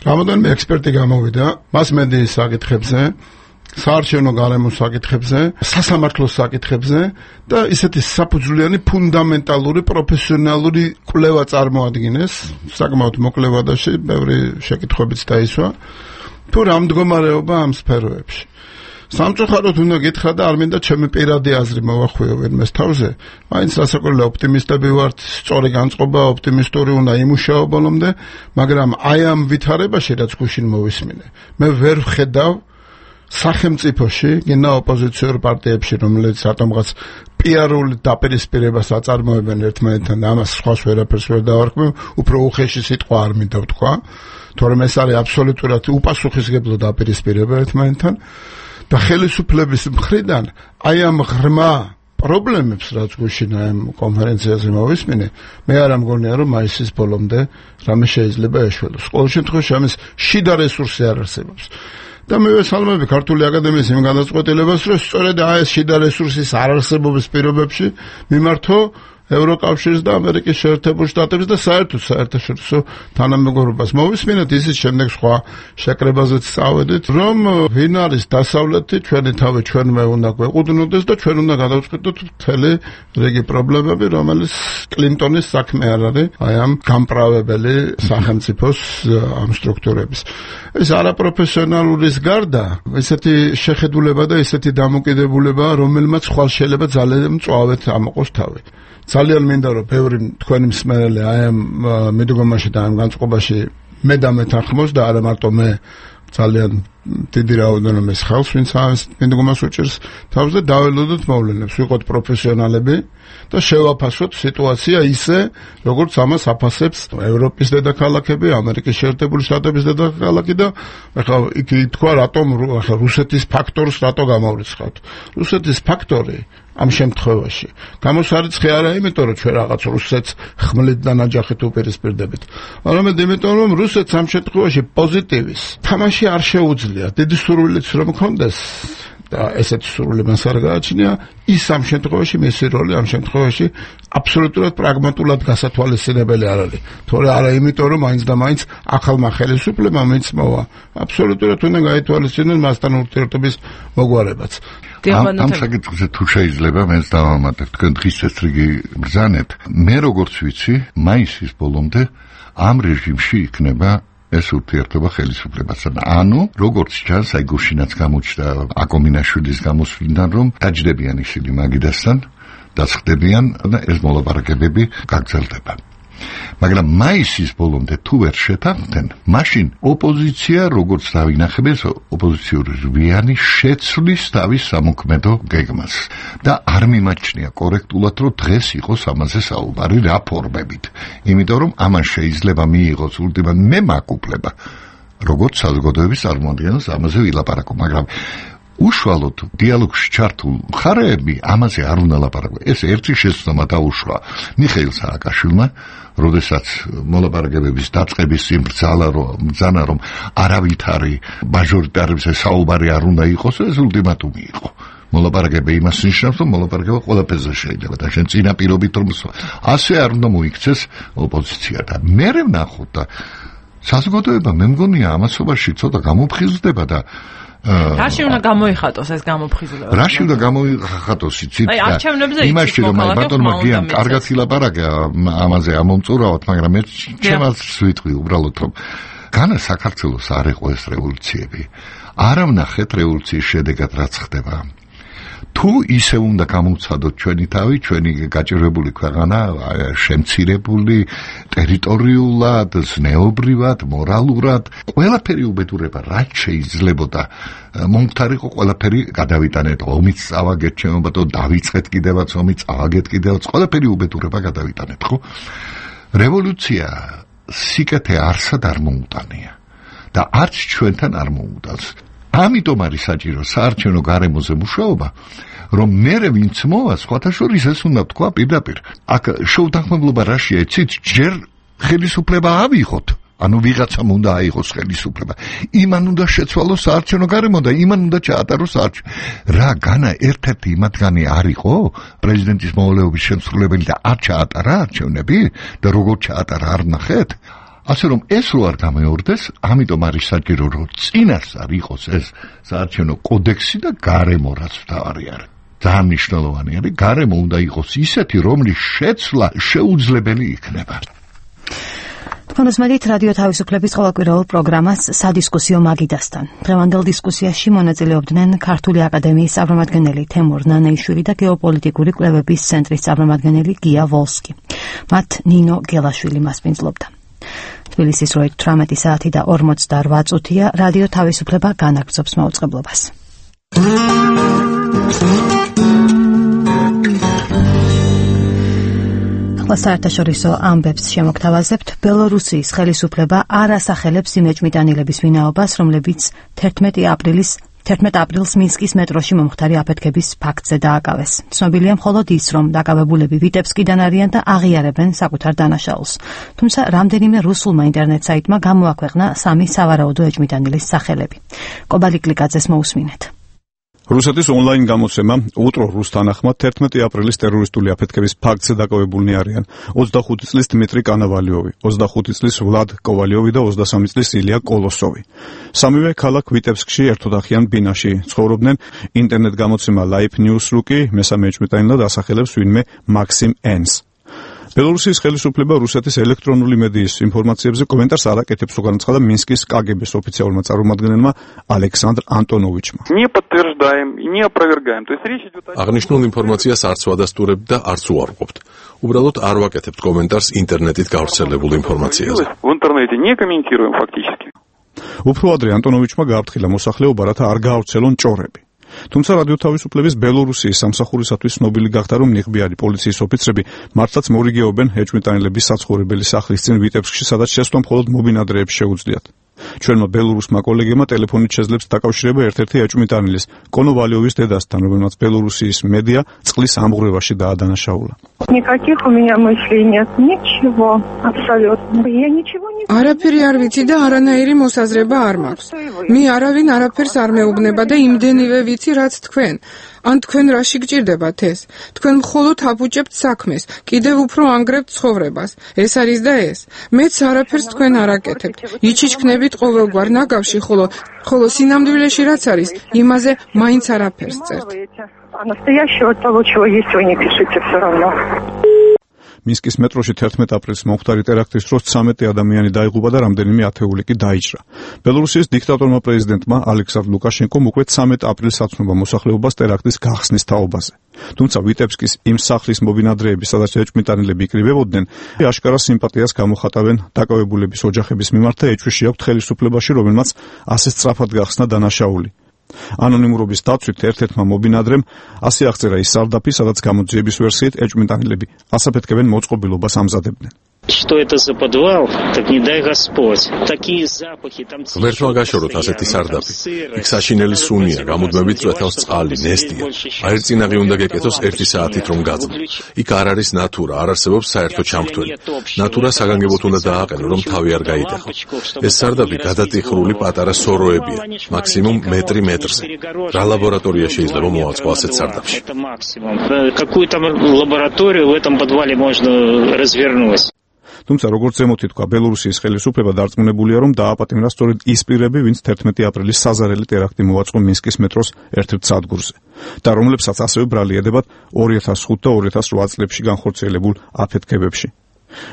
რამოდენიმე ექსპერტი გამოვიდა მას მედიის საკითხებზე. საარჩევნო გარემოს საკითხებზე, სასამართლოს საკითხებზე და ისეთი საფუძვლიანი ფუნდამენტალური პროფესიონალური კვლევა წარმოადგინეს, საკმაოდ მოკლე ვადაში, ბევრი შეკითხვებიც დაისვა, თუ რა მდგომარეობა ამ სფეროებში. სამწუხაროდ უნდა გითხრა და არ მინდა ჩემი პირადი აზრი მოვახვიო ვინმეს თავზე, მაინც რასაკვირველია ოპტიმისტები ვართ, სწორი განწყობა, ოპტიმისტური უნდა იმუშაო ბოლომდე, მაგრამ აი ამ ვითარებაში რაც გუშინ მოვისმინე, მე ვერ ვხედავ სახელმწიფოში, გინდა ოპოზიციურ პარტიებში, რომელიც რატომღაც პიარული დაპირისპირებას აწარმოებენ ერთმანეთთან და ამას სხვას ვერაფერს ვერ დავარქმევ, უფრო უხეში სიტყვა არ მინდა ვთქვა, თორემ ეს არის აბსოლუტურად უპასუხისმგებლო დაპირისპირება ერთმანეთთან და ხელისუფლების მხრიდან აი ამ ღრმა პრობლემებს რაც გუშინ ამ კონფერენციაზე მოვისმინე, მე არ ამგონია რომ მაისის ბოლომდე რამე შეიძლება ეშველოს. ყოველ შემთხვევაში ამის შიდა რესურსი არ არსებობს. და მე ვესალმები ქართული აკადემიის იმ გადაწყვეტილებას, რომ სწორედ ეს შიდა რესურსის არარსებობის პირობებში მიმართო ევროკავშირს და ამერიკის შეერთებულ შტატებს და საერთოდ საერთაშორისო თანამეგობრობას. მოვისმინეთ ისიც შემდეგ სხვა შეკრებაზეც წავედით, რომ ვინ არის დასავლეთი, ჩვენი თავი ჩვენმე უნდა გვეყუდნოდეს და ჩვენ უნდა გადავწყვეტოთ მთელი რიგი პრობლემები, რომელიც კლინტონის საქმე არ არის, აი ამ გამправებელი სახელმწიფოს ამ სტრუქტურების. ეს არაპროფესიონალურის გარდა ესეთი შეხედულება და ესეთი დამოკიდებულება, რომელმაც ხვალ შეიძლება ძალიან მწვავედ ამოყოს თავი. ძალიან მინდა რომ ბევრი თქვენი მსმენელი აი ამ მიდგომაში და ამ განწყობაში მე დამეთანხმოს და არა მარტო მე ძალიან დიდი რაოდენობის ხალხს ვინც ამ მიდგომას უჭერს თავს და დაველოდოთ მოვლენებს ვიყოთ პროფესიონალები და შევაფასოთ სიტუაცია ისე როგორც ამას აფასებს ევროპის დედაქალაქები, ამერიკის შეერთებული შტატების დედაქალაქი და ახლა იქ თქვა რატომ ახლა რუსეთის ფაქტორს რატო გამოვრიცხავთ. რუსეთის ფაქტორი ამ შემთხვევაში გამოსარიცხე არა იმიტომ რომ ჩვენ რაღაც რუსეთს ხმლით და ნაჯახით უპირისპირდებით, არამედ იმიტომ რომ რუსეთს ამ შემთხვევაში პოზიტივის თამაში არ შეუძლია. დიდი სურვილიც რომ მქონდეს და ესეთი სურვილი მას არ გააჩნია, ის ამ შემთხვევაში მისი როლი ამ შემთხვევაში აბსოლუტურად პრაგმატულად გასათვალისწინებელი არ არის. თორე არა იმიტომ რომ მაინც და მაინც ახალმა ხელისუფლებამ მიც მოვა. აბსოლუტურად უნდა გაითვალისწინოს მასთან ურთიერთობის მოგვარებაც. ამ საკითხზე თუ შეიძლება მეც დავამატებ, თქვენ დღის წესრიგი ბრძანეთ. მე როგორც ვიცი, მაისის ბოლომდე ამ რეჟიმში იქნება ეს ურთიერთობა ხელისუფლებასთან. ანუ როგორც ჩანს, აი გუშინაც გამოჩნდა აკომინაშვილის გამოსვლიდან, რომ დაჯდებიან ისინი მაგიდასთან, დაწყდებიან და ეს მოლაპარაკებები გაგრძელდება. მაგრამ მაისის ბოლომდე თუ ვერ შეთანხმდნენ, მაშინ ოპოზიცია როგორც დავინახებთ, ოპოზიციური რვიანი შეცვლის თავის სამოქმედო გეგმას და არ მიმაჩნია კორექტულად, რომ დღეს იყოს ამაზე საუბარი რა ფორმებით. იმიტომ რომ ამან შეიძლება მიიღოს ულტიმატ მე მაკუპლება, როგორც საზოგადოების წარმოადგენელს ამაზე ვილაპარაკო, მაგრამ უშუალოდ დიალოგში ჩართულ მხარეები ამაზე არ უნდა ლაპარაკო. ეს ერთი შეცდომა დაუშვა მიხეილ სააკაშვილმა, როდესაც მოლაპარაკებების დაწყების წინ ბრძალა რომ ბრძანა რომ არავითარი მაჟორიტარებზე საუბარი არ უნდა იყოს, ეს ულტიმატუმი იყო. მოლაპარაკება იმას ნიშნავს, რომ მოლაპარაკება ყველაფერზე შეიძლება და შენ წინა პირობით რომ ასე არ უნდა მოიქცეს ოპოზიცია და მე ვნახოთ და საზოგადოება მე მგონია ამასობაში ცოტა გამოფხიზლდება და რაში უნდა გამოიხატოს ეს გამოფხიზლება? რაში უნდა გამოიხატოს იცით? აი არჩევნებზე იმაში რომ აი ბატონმა გიან კარგად ილაპარაკა ამაზე ამომწურავად, მაგრამ მე ჩემს ვიტყვი უბრალოდ რომ განა საქართველოს არ იყო ეს რევოლუციები. არ ვნახეთ რევოლუციის შედეგად რაც ხდება. თუ ისე უნდა გამოვცადოთ ჩვენი თავი, ჩვენი გაჭირვებული ქვეყანა, შემცირებული ტერიტორიულად, ზნეობრივად, მორალურად, ყველაფერი უბედურება, რაც შეიძლებოდა მომხდარიყო, ყველაფერი გადავიტანეთ, ომიც წავაგეთ, შემობატო დავიწყეთ კიდევაც, ომიც წავაგეთ კიდევაც, ყველაფერი უბედურება გადავიტანეთ, ხო? რევოლუცია სიკეთე არსად არ მოუტანია და არც ჩვენთან არ მოუტანს. ამიტომ არის საჭირო საარჩევნო გარემოზე მუშაობა, რომ მერე ვინც მოვა, სხვათა შორის ეს უნდა თქვა პირდაპირ. აქ შეუთანხმებლობა რაშია, იცით, ჯერ ხელისუფლება ავიღოთ, ანუ ვიღაცამ უნდა აიღოს ხელისუფლება. იმან უნდა შეცვალოს საარჩევნო გარემო და იმან უნდა ჩაატაროს საარჩევნო. რა განა ერთ-ერთი მათგანი არ იყო პრეზიდენტის მოვალეობის შემსრულებელი და არ ჩაატარა არჩევნები და როგორ ჩაატარა არ ნახეთ? ასე რომ ეს რო არ გამეორდეს, ამიტომ არის საჭირო რომ წინასწარ იყოს ეს საარჩევნო კოდექსი და გარემო რაც თავარი არის. ძალიან მნიშვნელოვანი არის, გარემო უნდა იყოს ისეთი, რომლის შეცვლა შეუძლებელი იქნება. თქვენ უსმენთ რადიო თავისუფლების ყოველკვირეულ პროგრამას სადისკუსიო მაგიდასთან. დღევანდელ დისკუსიაში მონაწილეობდნენ ქართული აკადემიის წარმომადგენელი თემურ ნანეიშვილი და გეოპოლიტიკური კვლევების ცენტრის წარმომადგენელი გია ვოლსკი. მათ ნინო გელაშვილი მასპინძლობდა. თბილისის როით თვრამეტი საათი და ორმოცდაორვა წუთია, რადიო თავისუფლება განაგრძობს მაუწყებლობას. საერთაშორისო ამბებს შემოგთავაზებთ. ბელორუსიის ხელისუფლება არ ასახელებს იმ ეჭვმიტანილების ვინაობას, რომლებიც თერთმეტი აპრილის თერთმეტ აპრილს მინსკის მეტროში მომხდარი აფეთქების ფაქტზე დააკავეს. ცნობილია მხოლოდ ის, რომ დაკავებულები ვიტებსკიდან არიან და აღიარებენ საკუთარ დანაშაულს. თუმცა რამდენიმე რუსულმა ინტერნეტ საიტმა გამოაქვეყნა სამი სავარაუდო ეჭვმიტანილის სახელები. კობალიკლიკაძეს მოусმინეთ. რუსეთის ონლაინ გამოცემა უტრო რუს თანახმად თერთმეტი აპრილის ტერორისტული აფეთქების ფაქტზე დაკავებულნი არიან ოცდახუთი წლის დმიტრი კანავალიოვი, ოცდახუთი წლის ვლად კოვალიოვი და ოცდასამი წლის ილია კოლოსოვი. სამივე ქალაქ ვიტებსკში ერთოთახიან ბინაში ცხოვრობდნენ. ინტერნეტ გამოცემა Live News-ru კი მესამე ეჭვმიტანილად ასახელებს ვინმე მაქსიმ ენს. ბელორუსიის ხელისუფლება რუსეთის ელექტრონული მედიის ინფორმაციებზე კომენტარს არ აკეთებს, თუ განაცხადა მინსკის კაგების ოფიციალურმა წარმომადგენელმა ალექსანდრ ანტონოვიჩმა. აღნიშნულ ინფორმაციას არც ვადასტურებთ და არც უარყოფთ. უბრალოდ არ ვაკეთებთ კომენტარს ინტერნეტით გავრცელებულ ინფორმაციაზე. უფრო ადრე ანტონოვიჩმა გააფრთხილა მოსახლეობა, რათა არ გაავრცელონ ჭორები. თუმცა რადიო თავისუფლების ბელორუსიის სამსახურისათვის ცნობილი გახდა, რომ ნიღბიარი პოლიციის ოფიცრები მართლაც მორიგეობენ ეჭვმიტანილების საცხოვრებელი სახლის წინ ვიტებსკში, სადაც შესვლა მხოლოდ მობინადრეებს შეუძლიათ. ჩვენმა ბელორუსმა კოლეგებმა ტელეფონით შეძლებს დაკავშირება ერთ-ერთი ეჭვმიტანილის, კონოვალიოვის დედასთან, რომელმაც ბელორუსიის მედია წყლის ამღვრევაში დაადანაშაულა. Никаких у меня мыслей нет, ничего, абсолютно. Я ничего не არაფერი არ ვიცი და არანაირი მოსაზრება არ მაქვს. მე არავინ არაფერს არ მეუბნება და იმდენივე ვიცი, რაც თქვენ. ან თქვენ რაში გჭირდებათ ეს? თქვენ მხოლოდ აფუჭებთ საქმეს, კიდევ უფრო ანგრევთ ცხოვრებას. ეს არის და ეს. მეც არაფერს თქვენ არ აკეთებთ. იჩიჩქნებით ყოველგვარ ნაგავში, ხოლო ხოლო სინამდვილეში რაც არის, იმაზე მაინც არაფერს წერთ. А настоящего того, чего есть, вы не пишите все равно. მინსკის მეტროში თერთმეტ აპრილს მომხდარი ტერაქტის დროს ცამეტი ადამიანი დაიღუპა და რამდენიმე ათეული კი დაიჭრა. ბელორუსიის დიქტატორმა პრეზიდენტმა ალექსანდრ ლუკაშენკომ უკვე ცამეტ აპრილს აცნობა მოსახლეობას ტერაქტის გახსნის თაობაზე. თუმცა ვიტებსკის იმ სახლის მობინადრეები, სადაც ეჭვმიტანილები იკრიბებოდნენ, აშკარა სიმპათიას გამოხატავენ დაკავებულების ოჯახების მიმართ და ეჭვში აქვთ ხელისუფლებაში, რომელმაც ასე სწრაფად გახსნა დანაშაული. ანონიმურობის დაცვით ერთ-ერთმა მობინადრემ ასე აღწერა ის სარდაფი, სადაც გამოძიების ვერსიით ეჭვმიტანილები ასაფეთქებენ მოწყობილობას ამზადებდნენ. Что это за подвал? Так не дай Господь. Такие запахи там. Ვერთმა გაშოროთ ასეთი სარდაფი. იქ საშინელი სუნია, გამუდმებით წვეთავს წყალი, ნესტია. აერწინაღი უნდა გეკეთოს ერთი საათით რომ გაძნო. იქ არ არის ნატურა, არ არსებობს საერთო ჩამქთველი. ნატურა საგანგებოდ უნდა დააყენო, რომ თავი არ გაიტეხო. ეს სარდაფი გადატიხრული პატარა სოროებია, მაქსიმუმ მეტრი მეტრზე. რა ლაბორატორია შეიძლება მოაწყო ასეთ სარდაფში? Какую там лабораторию в этом подвале можно развернуть? თუმცა როგორც ზემოთ ითქვა, ბელორუსიის ხელისუფლება დარწმუნებულია, რომ დააპატიმრა სწორედ ის პირები, ვინც თერთმეტი აპრილის საზარელი ტერაქტი მოაწყო მინსკის მეტროს ერთ-ერთ სადგურზე და რომლებსაც ასევე ბრალი ედებათ ორი ათას ხუთი და ორი ათას ოთხ წლებში განხორციელებულ აფეთქებებში.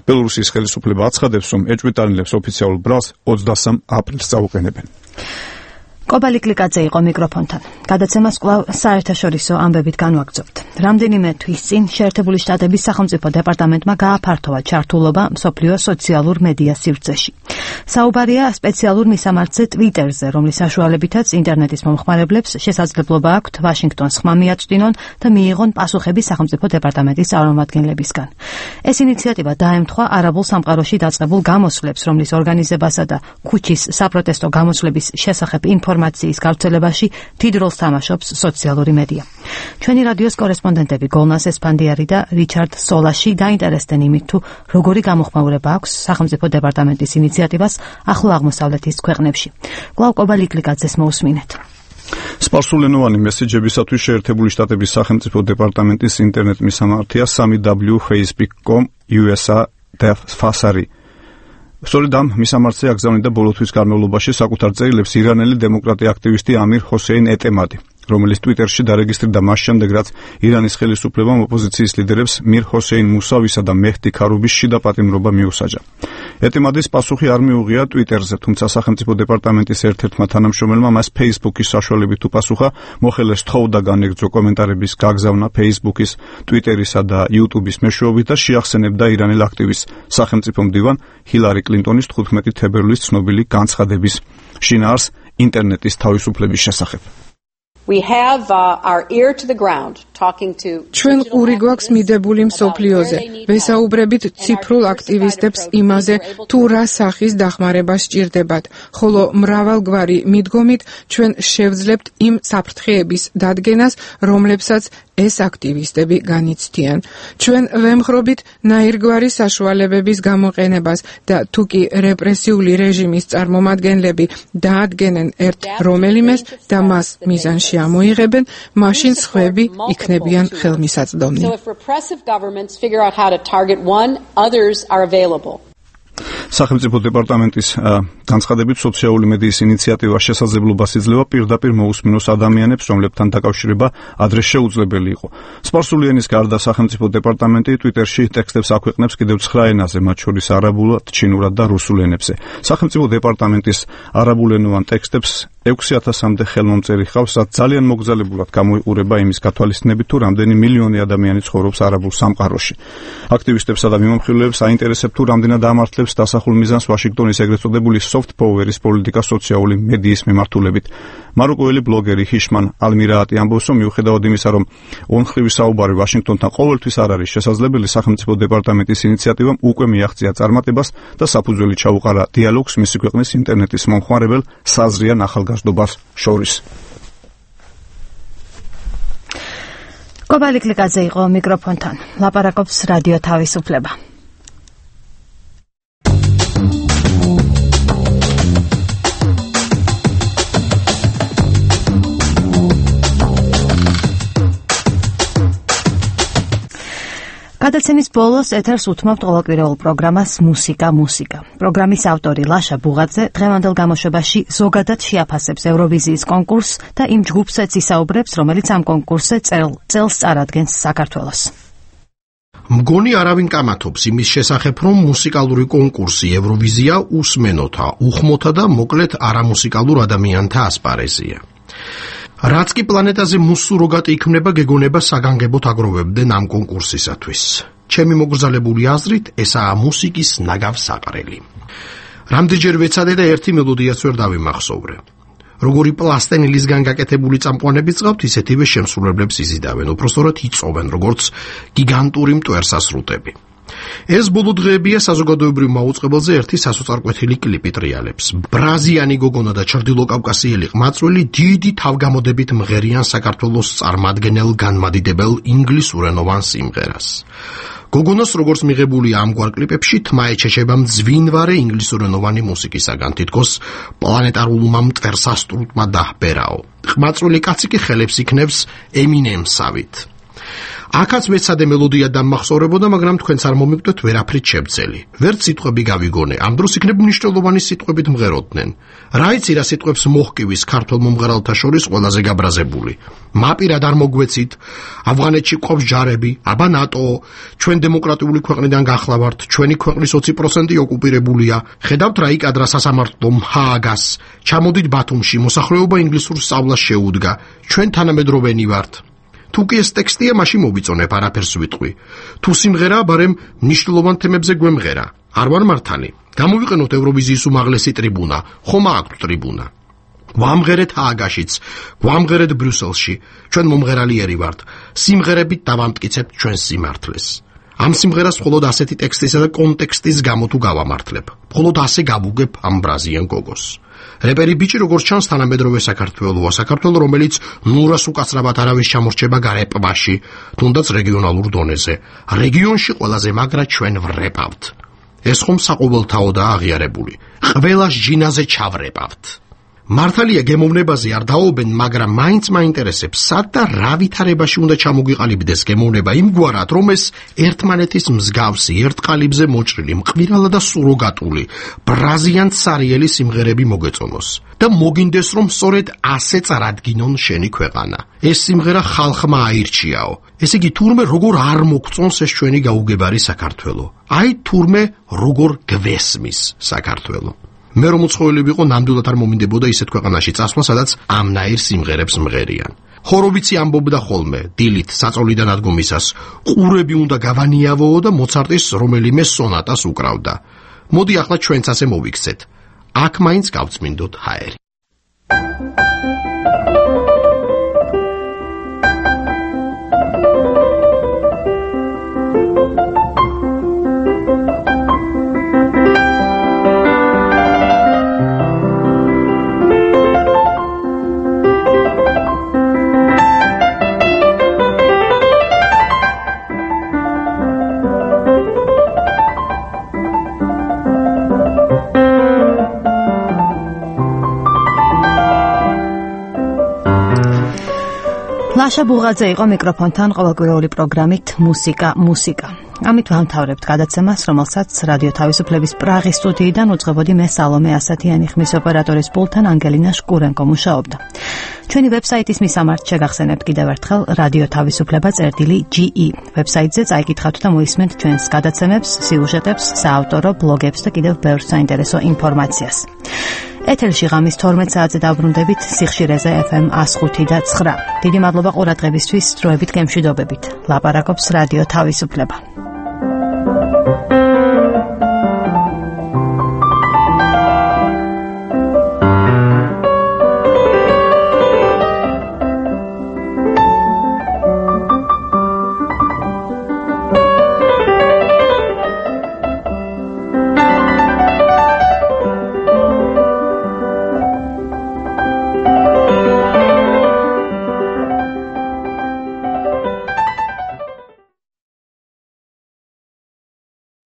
ბელორუსიის ხელისუფლება აცხადებს, რომ ეჭვმიტანილებს ოფიციალურ ბრალს ოცდასამ აპრილს წაუყენებენ. კობალიკლიკაძე იყო მიკროფონთან. გადაცემას კვლავ საერთაშორისო ამბებით განვაგრძობთ. რამდენიმე თვის წინ შეერთებული შტატების სახელმწიფო დეპარტამენტმა გააფართოვა ჩართულობა მსოფლიო სოციალურ მედია სივრცეში. საუბარია სპეციალურ მისამართზე Twitter-ზე, რომლის საშუალებითაც ინტერნეტის მომხმარებლებს შესაძლებლობა აქვთ ვაშინგტონს ხმა მიაწვდინონ და მიიღონ პასუხები სახელმწიფო დეპარტამენტის წარმომადგენლებისგან. ეს ინიციატივა დაემთხვა არაბულ სამყაროში დაწყებულ გამოსვლებს, რომლის ორგანიზებასა და ქუჩის საპროტესტო გამოსვლების შესახებ ინფორმაციის გავრცელებაში დიდ როლს თამაშობს სოციალური მედია. ჩვენი რადიოს კორესპონდენტები გოლნას ესპანდიარი და რიჩარდ სოლაში დაინტერესდნენ იმით, თუ როგორი გამოხმაურება აქვს სახელმწიფო დეპარტამენტის ინიციატივას ახლო აღმოსავლეთის ქვეყნებში. კვლავ კობალიკლიკაძეს მოусმინეთ. სპარსულენოვანი მესეჯებისათვის შეერთებული შტატების სახელმწიფო დეპარტამენტის ინტერნეტ მისამართია სამი დაბლიუ facebook dot com U S A Fasari. სწორედ ამ მისამართზე აგზავნიდა ბოლოთვის განმავლობაში საკუთარ წერილებს ირანელი დემოკრატი აქტივისტი ამირ ჰოსეინ ეტემადი, რომელიც ტვიტერში დარეგისტრირდა მას შემდეგ, რაც ირანის ხელისუფლებამ ოპოზიციის ლიდერებს მირ ჰოსეინ მუსავისა და მეჰდი ქარუბის შიდა პატიმრობა მიუსაჯა. ეტემადის პასუხი არ მიუღია ტვიტერზე, თუმცა სახელმწიფო დეპარტამენტის ერთ-ერთმა თანამშრომელმა მას Facebook-ის საშუალებით უპასუხა, მოხელეს თხოვდა განეგრძო კომენტარების გაგზავნა Facebook-ის, Twitter-ისა და YouTube-ის მეშვეობით და შეახსენებდა ირანელ აქტივისტს, სახელმწიფო მდივან ჰილარი კლინტონის თხუთმეტი თებერვლის ცნობილი განცხადების შინაარს ინტერნეტის თავისუფლების შესახებ. We have uh, our ear to the ground talking to ჩვენ ყური გვაქვს მიდებული მსოფლიოზე. ვესაუბრებით ციფრულ აქტივისტებს იმაზე, თუ რა სახის დახმარება სჭირდებათ, ხოლო მრავალგვარი მიდგომით ჩვენ შევძლებთ იმ საფრთხეების დადგენას, რომლებსაც ეს აქტივისტები განიცდიან. ჩვენ ვემხრობით ნაირგვარი საშუალებების გამოყენებას და თუ კი რეპრესიული რეჟიმის წარმომადგენლები დაადგენენ ერთ რომელიმეს და მას მიზანში ამოიღებენ, მაშინ სხვები იქნებიან ხელმისაწვდომნი. So if repressive governments figure out how to target one, others are available. სახელმწიფო დეპარტამენტის განცხადებით სოციალური მედიის ინიციატივა შესაძლებლობას იძლევა პირდაპირ მოусმინოს ადამიანებს, რომლებთან დაკავშირება ადრე შეუძლებელი იყო. სპარსული ენის გარდა სახელმწიფო დეპარტამენტი ტვიტერში ტექსტებს აქვეყნებს კიდევ ცხრა ენაზე, მათ შორის არაბულად, ჩინურად და რუსულ ენებზე. სახელმწიფო დეპარტამენტის არაბულენოვან ტექსტებს ექვსი ათასამდე ხელმომწერი ჰყავს, რაც ძალიან მოგზაურებულად გამოიყურება იმის გათვალისწინებით, თუ რამდენი მილიონი ადამიანი ცხოვრობს არაბულ სამყაროში. აქტივისტებსა და მიმოხილველებს აინტერესებს, თუ რამდენად ამართლებს დასახულ მიზანს ვაშინგტონის ეგრეთ წოდებული soft power-ის პოლიტიკა სოციალური მედიის მიმართულებით. მაროკოელი ბლოგერი ჰიშმან ალმირაატი ამბობს, რომ მიუხედავად იმისა, რომ ონხრივი საუბარი ვაშინგტონთან ყოველთვის არ არის შესაძლებელი, სახელმწიფო დეპარტამენტის ინიციატივამ უკვე მიაღწია წარმატებას და საფუძველი ჩაუყარა დიალოგს მისი ქვეყნის ინტერნეტის მომხმარებელ საზრიან ახალგაზრდობას შორის. კობალი კლიკაძე იყო მიკროფონთან. ლაპარაკობს რადიო თავისუფლება. გადაცემის ბოლოს ეთერს უთმობთ ყოველკვირეულ პროგრამას მუსიკა მუსიკა. პროგრამის ავტორი ლაშა ბუღაძე დღევანდელ გამოშვებაში ზოგადად შეაფასებს ევროვიზიის კონკურსს და იმ ჯგუფსაც ისაუბრებს, რომელიც ამ კონკურსზე წელს წარადგენს საქართველოს. მგონი არავინ კამათობს იმის შესახებ, რომ მუსიკალური კონკურსი ევროვიზია უსმენოთა, უხმოთა და მოკლედ არამუსიკალურ ადამიანთა ასპარეზია. რაც კი პლანეტაზე მუსუროგატი იქმნება, გეგონება საგანგებოდ აგროვებდნენ ამ კონკურსისათვის. ჩემი მოგრძალებული აზრით, ესაა მუსიკის ნაგავსაყრელი. რამდენჯერ ვეცადე და ერთი მელოდიაც ვერ დავიმახსოვრე. როგორი პლასტენილისგან გაკეთებული წამყვანები წავთ, ისეთივე შემსრულებლებს იზიდავენ, უпростоრად იწოვენ, როგორც გიგანტური მტვერსასრუტები. ეს ბოლო დღეებია საზოგადოებრივ მაუწყებელზე ერთი სასოწარკვეთილი კლიპი ტრიალებს. ბრაზიანი გოგონა და ჩრდილოკავკასიელი ყმაწვილი დიდი თავგამოდებით მღერიან საქართველოს წარმომადგენელ განმადიდებელ ინგლისურენოვან სიმღერას. გოგონას როგორც მიღებული ამგვარ კლიპებში თმა ეჩეჩება მძვინვარე ინგლისურენოვანი მუსიკისაგან, თითქოს პლანეტარულმა მტვერსასრუტმა დაჰბერაო. ყმაწვილი კაცი კი ხელებს იქნევს ემინემსავით. აქაც მეცადე მელოდია დამახსოვრებოდა, მაგრამ თქვენც არ მომიკვდეთ ვერაფრით შევძელი. ვერც სიტყვები გავიგონე, ამ დროს იქნებ მნიშვნელოვანი სიტყვებით მღეროდნენ. რა იცი რა სიტყვებს მოჰკივის ქართულ მომღერალთა შორის ყველაზე გაბრაზებული. მაპირად არ მოგვეცით, ავღანეთში ყავს ჯარები, აბა ნატო, ჩვენ დემოკრატიული ქვეყნიდან გახლავართ, ჩვენი ქვეყნის ოცი პროცენტი ოკუპირებულია. ხედავთ რა იკადრა სასამართლომ ჰააგას. ჩამოდით ბათუმში, მოსახლეობა ინგლისურ სწავლას შეუდგა. ჩვენ თანამედროვენი ვართ. თუ კი ეს ტექსტია, მაშინ მოვიწონებ, არაფერს ვიტყვი. თუ სიმღერაა, ბარემ მნიშვნელოვან თემებზე გვემღერა. არ ვარ მართალი. გამოვიყენოთ ევროვიზიის უმაღლესი ტრიბუნა, ხომ აქვთ ტრიბუნა. გვამღერეთ ჰააგაშიც, გვამღერეთ ბრიუსელში. ჩვენ მომღერალიერი ვართ. სიმღერებით დავამტკიცებთ ჩვენს სიმართლეს. ამ სიმღერას მხოლოდ ასეთი ტექსტისა და კონტექსტის გამო თუ გავამართლებ. მხოლოდ ასე გავუგებ ამ ბრაზიან გოგოს. რეპერი ბიჭი როგორც ჩანს თანამედროვე საქართველოა, საქართველო რომელიც ნურას უკაცრავად არავის ჩამორჩება გარეპბაში, თუნდაც რეგიონალურ დონეზე. რეგიონში ყველაზე მაგრა ჩვენ ვრეპავთ. ეს ხომ საყოველთაოდაა აღიარებული. ყველას ჯინაზე ჩავრეპავთ. მართალია გემოვნებაზე არ დაობენ, მაგრამ მაინც მაინტერესებს, სად და რა ვითარებაში უნდა ჩამოგიყალიბდეს გემოვნება იმგვარად, რომ ეს ერთმანეთის მსგავსი, ერთ ყალიბზე მოჭრილი, მყвирალა და სუროგატული, ბრაზიან ცარიელი სიმღერები მოგეწონოს. და მოგინდეს, რომ სწორედ ასე წარადგინონ შენი ქვეყანა. ეს სიმღერა ხალხმა აირჩიაო. ესე იგი, თურმე როგორ არ მოგწონს ეს ჩვენი გაუგებარი საქართველო. აი თურმე როგორ გვესმის საქართველო. მე რომ უცხოელი ვიყო, ნამდვილად არ მომინდებოდა ისეთ ქვეყანაში წასვლა, სადაც ამნაირ სიმღერებს მღერიან. ჰოროვიცი ამბობდა ხოლმე, დილით საწოლიდან ადგომისას, ყურები უნდა გავანიავოო და მოცარტის რომელიმე სონატას უკრავდა. მოდი ახლა ჩვენც ასე მოვიქცეთ. აქ მაინც გავწმინდოთ ჰაერი. ლაშა ბუღაძე იყო მიკროფონთან ყოველკვირეული პროგრამით მუსიკა მუსიკა. ამით ვამთავრებთ გადაცემას, რომელსაც რადიო თავისუფლების პრაღის სტუდიიდან უძღვებოდი მე სალომე ასათიანი, ხმის ოპერატორის პულტთან ანგელინა შკურენკო მუშაობდა. ჩვენი ვებსაიტის მისამართ შეგახსენებთ კიდევ ერთხელ რადიო თავისუფლება წერტილი ჯი ი. ვებსაიტზე წაიკითხავთ და მოისმენთ ჩვენს გადაცემებს, სიუჟეტებს, საავტორო ბლოგებს და კიდევ ბევრ საინტერესო ინფორმაციას. ეთერში ღამის თორმეტ საათზე დავბრუნდებით სიხშირეზე ეფ ემ one oh five და nine. დიდი მადლობა ყურადღებისთვის, დროებით გემშვიდობებით. ლაპარაკობს რადიო თავისუფლება.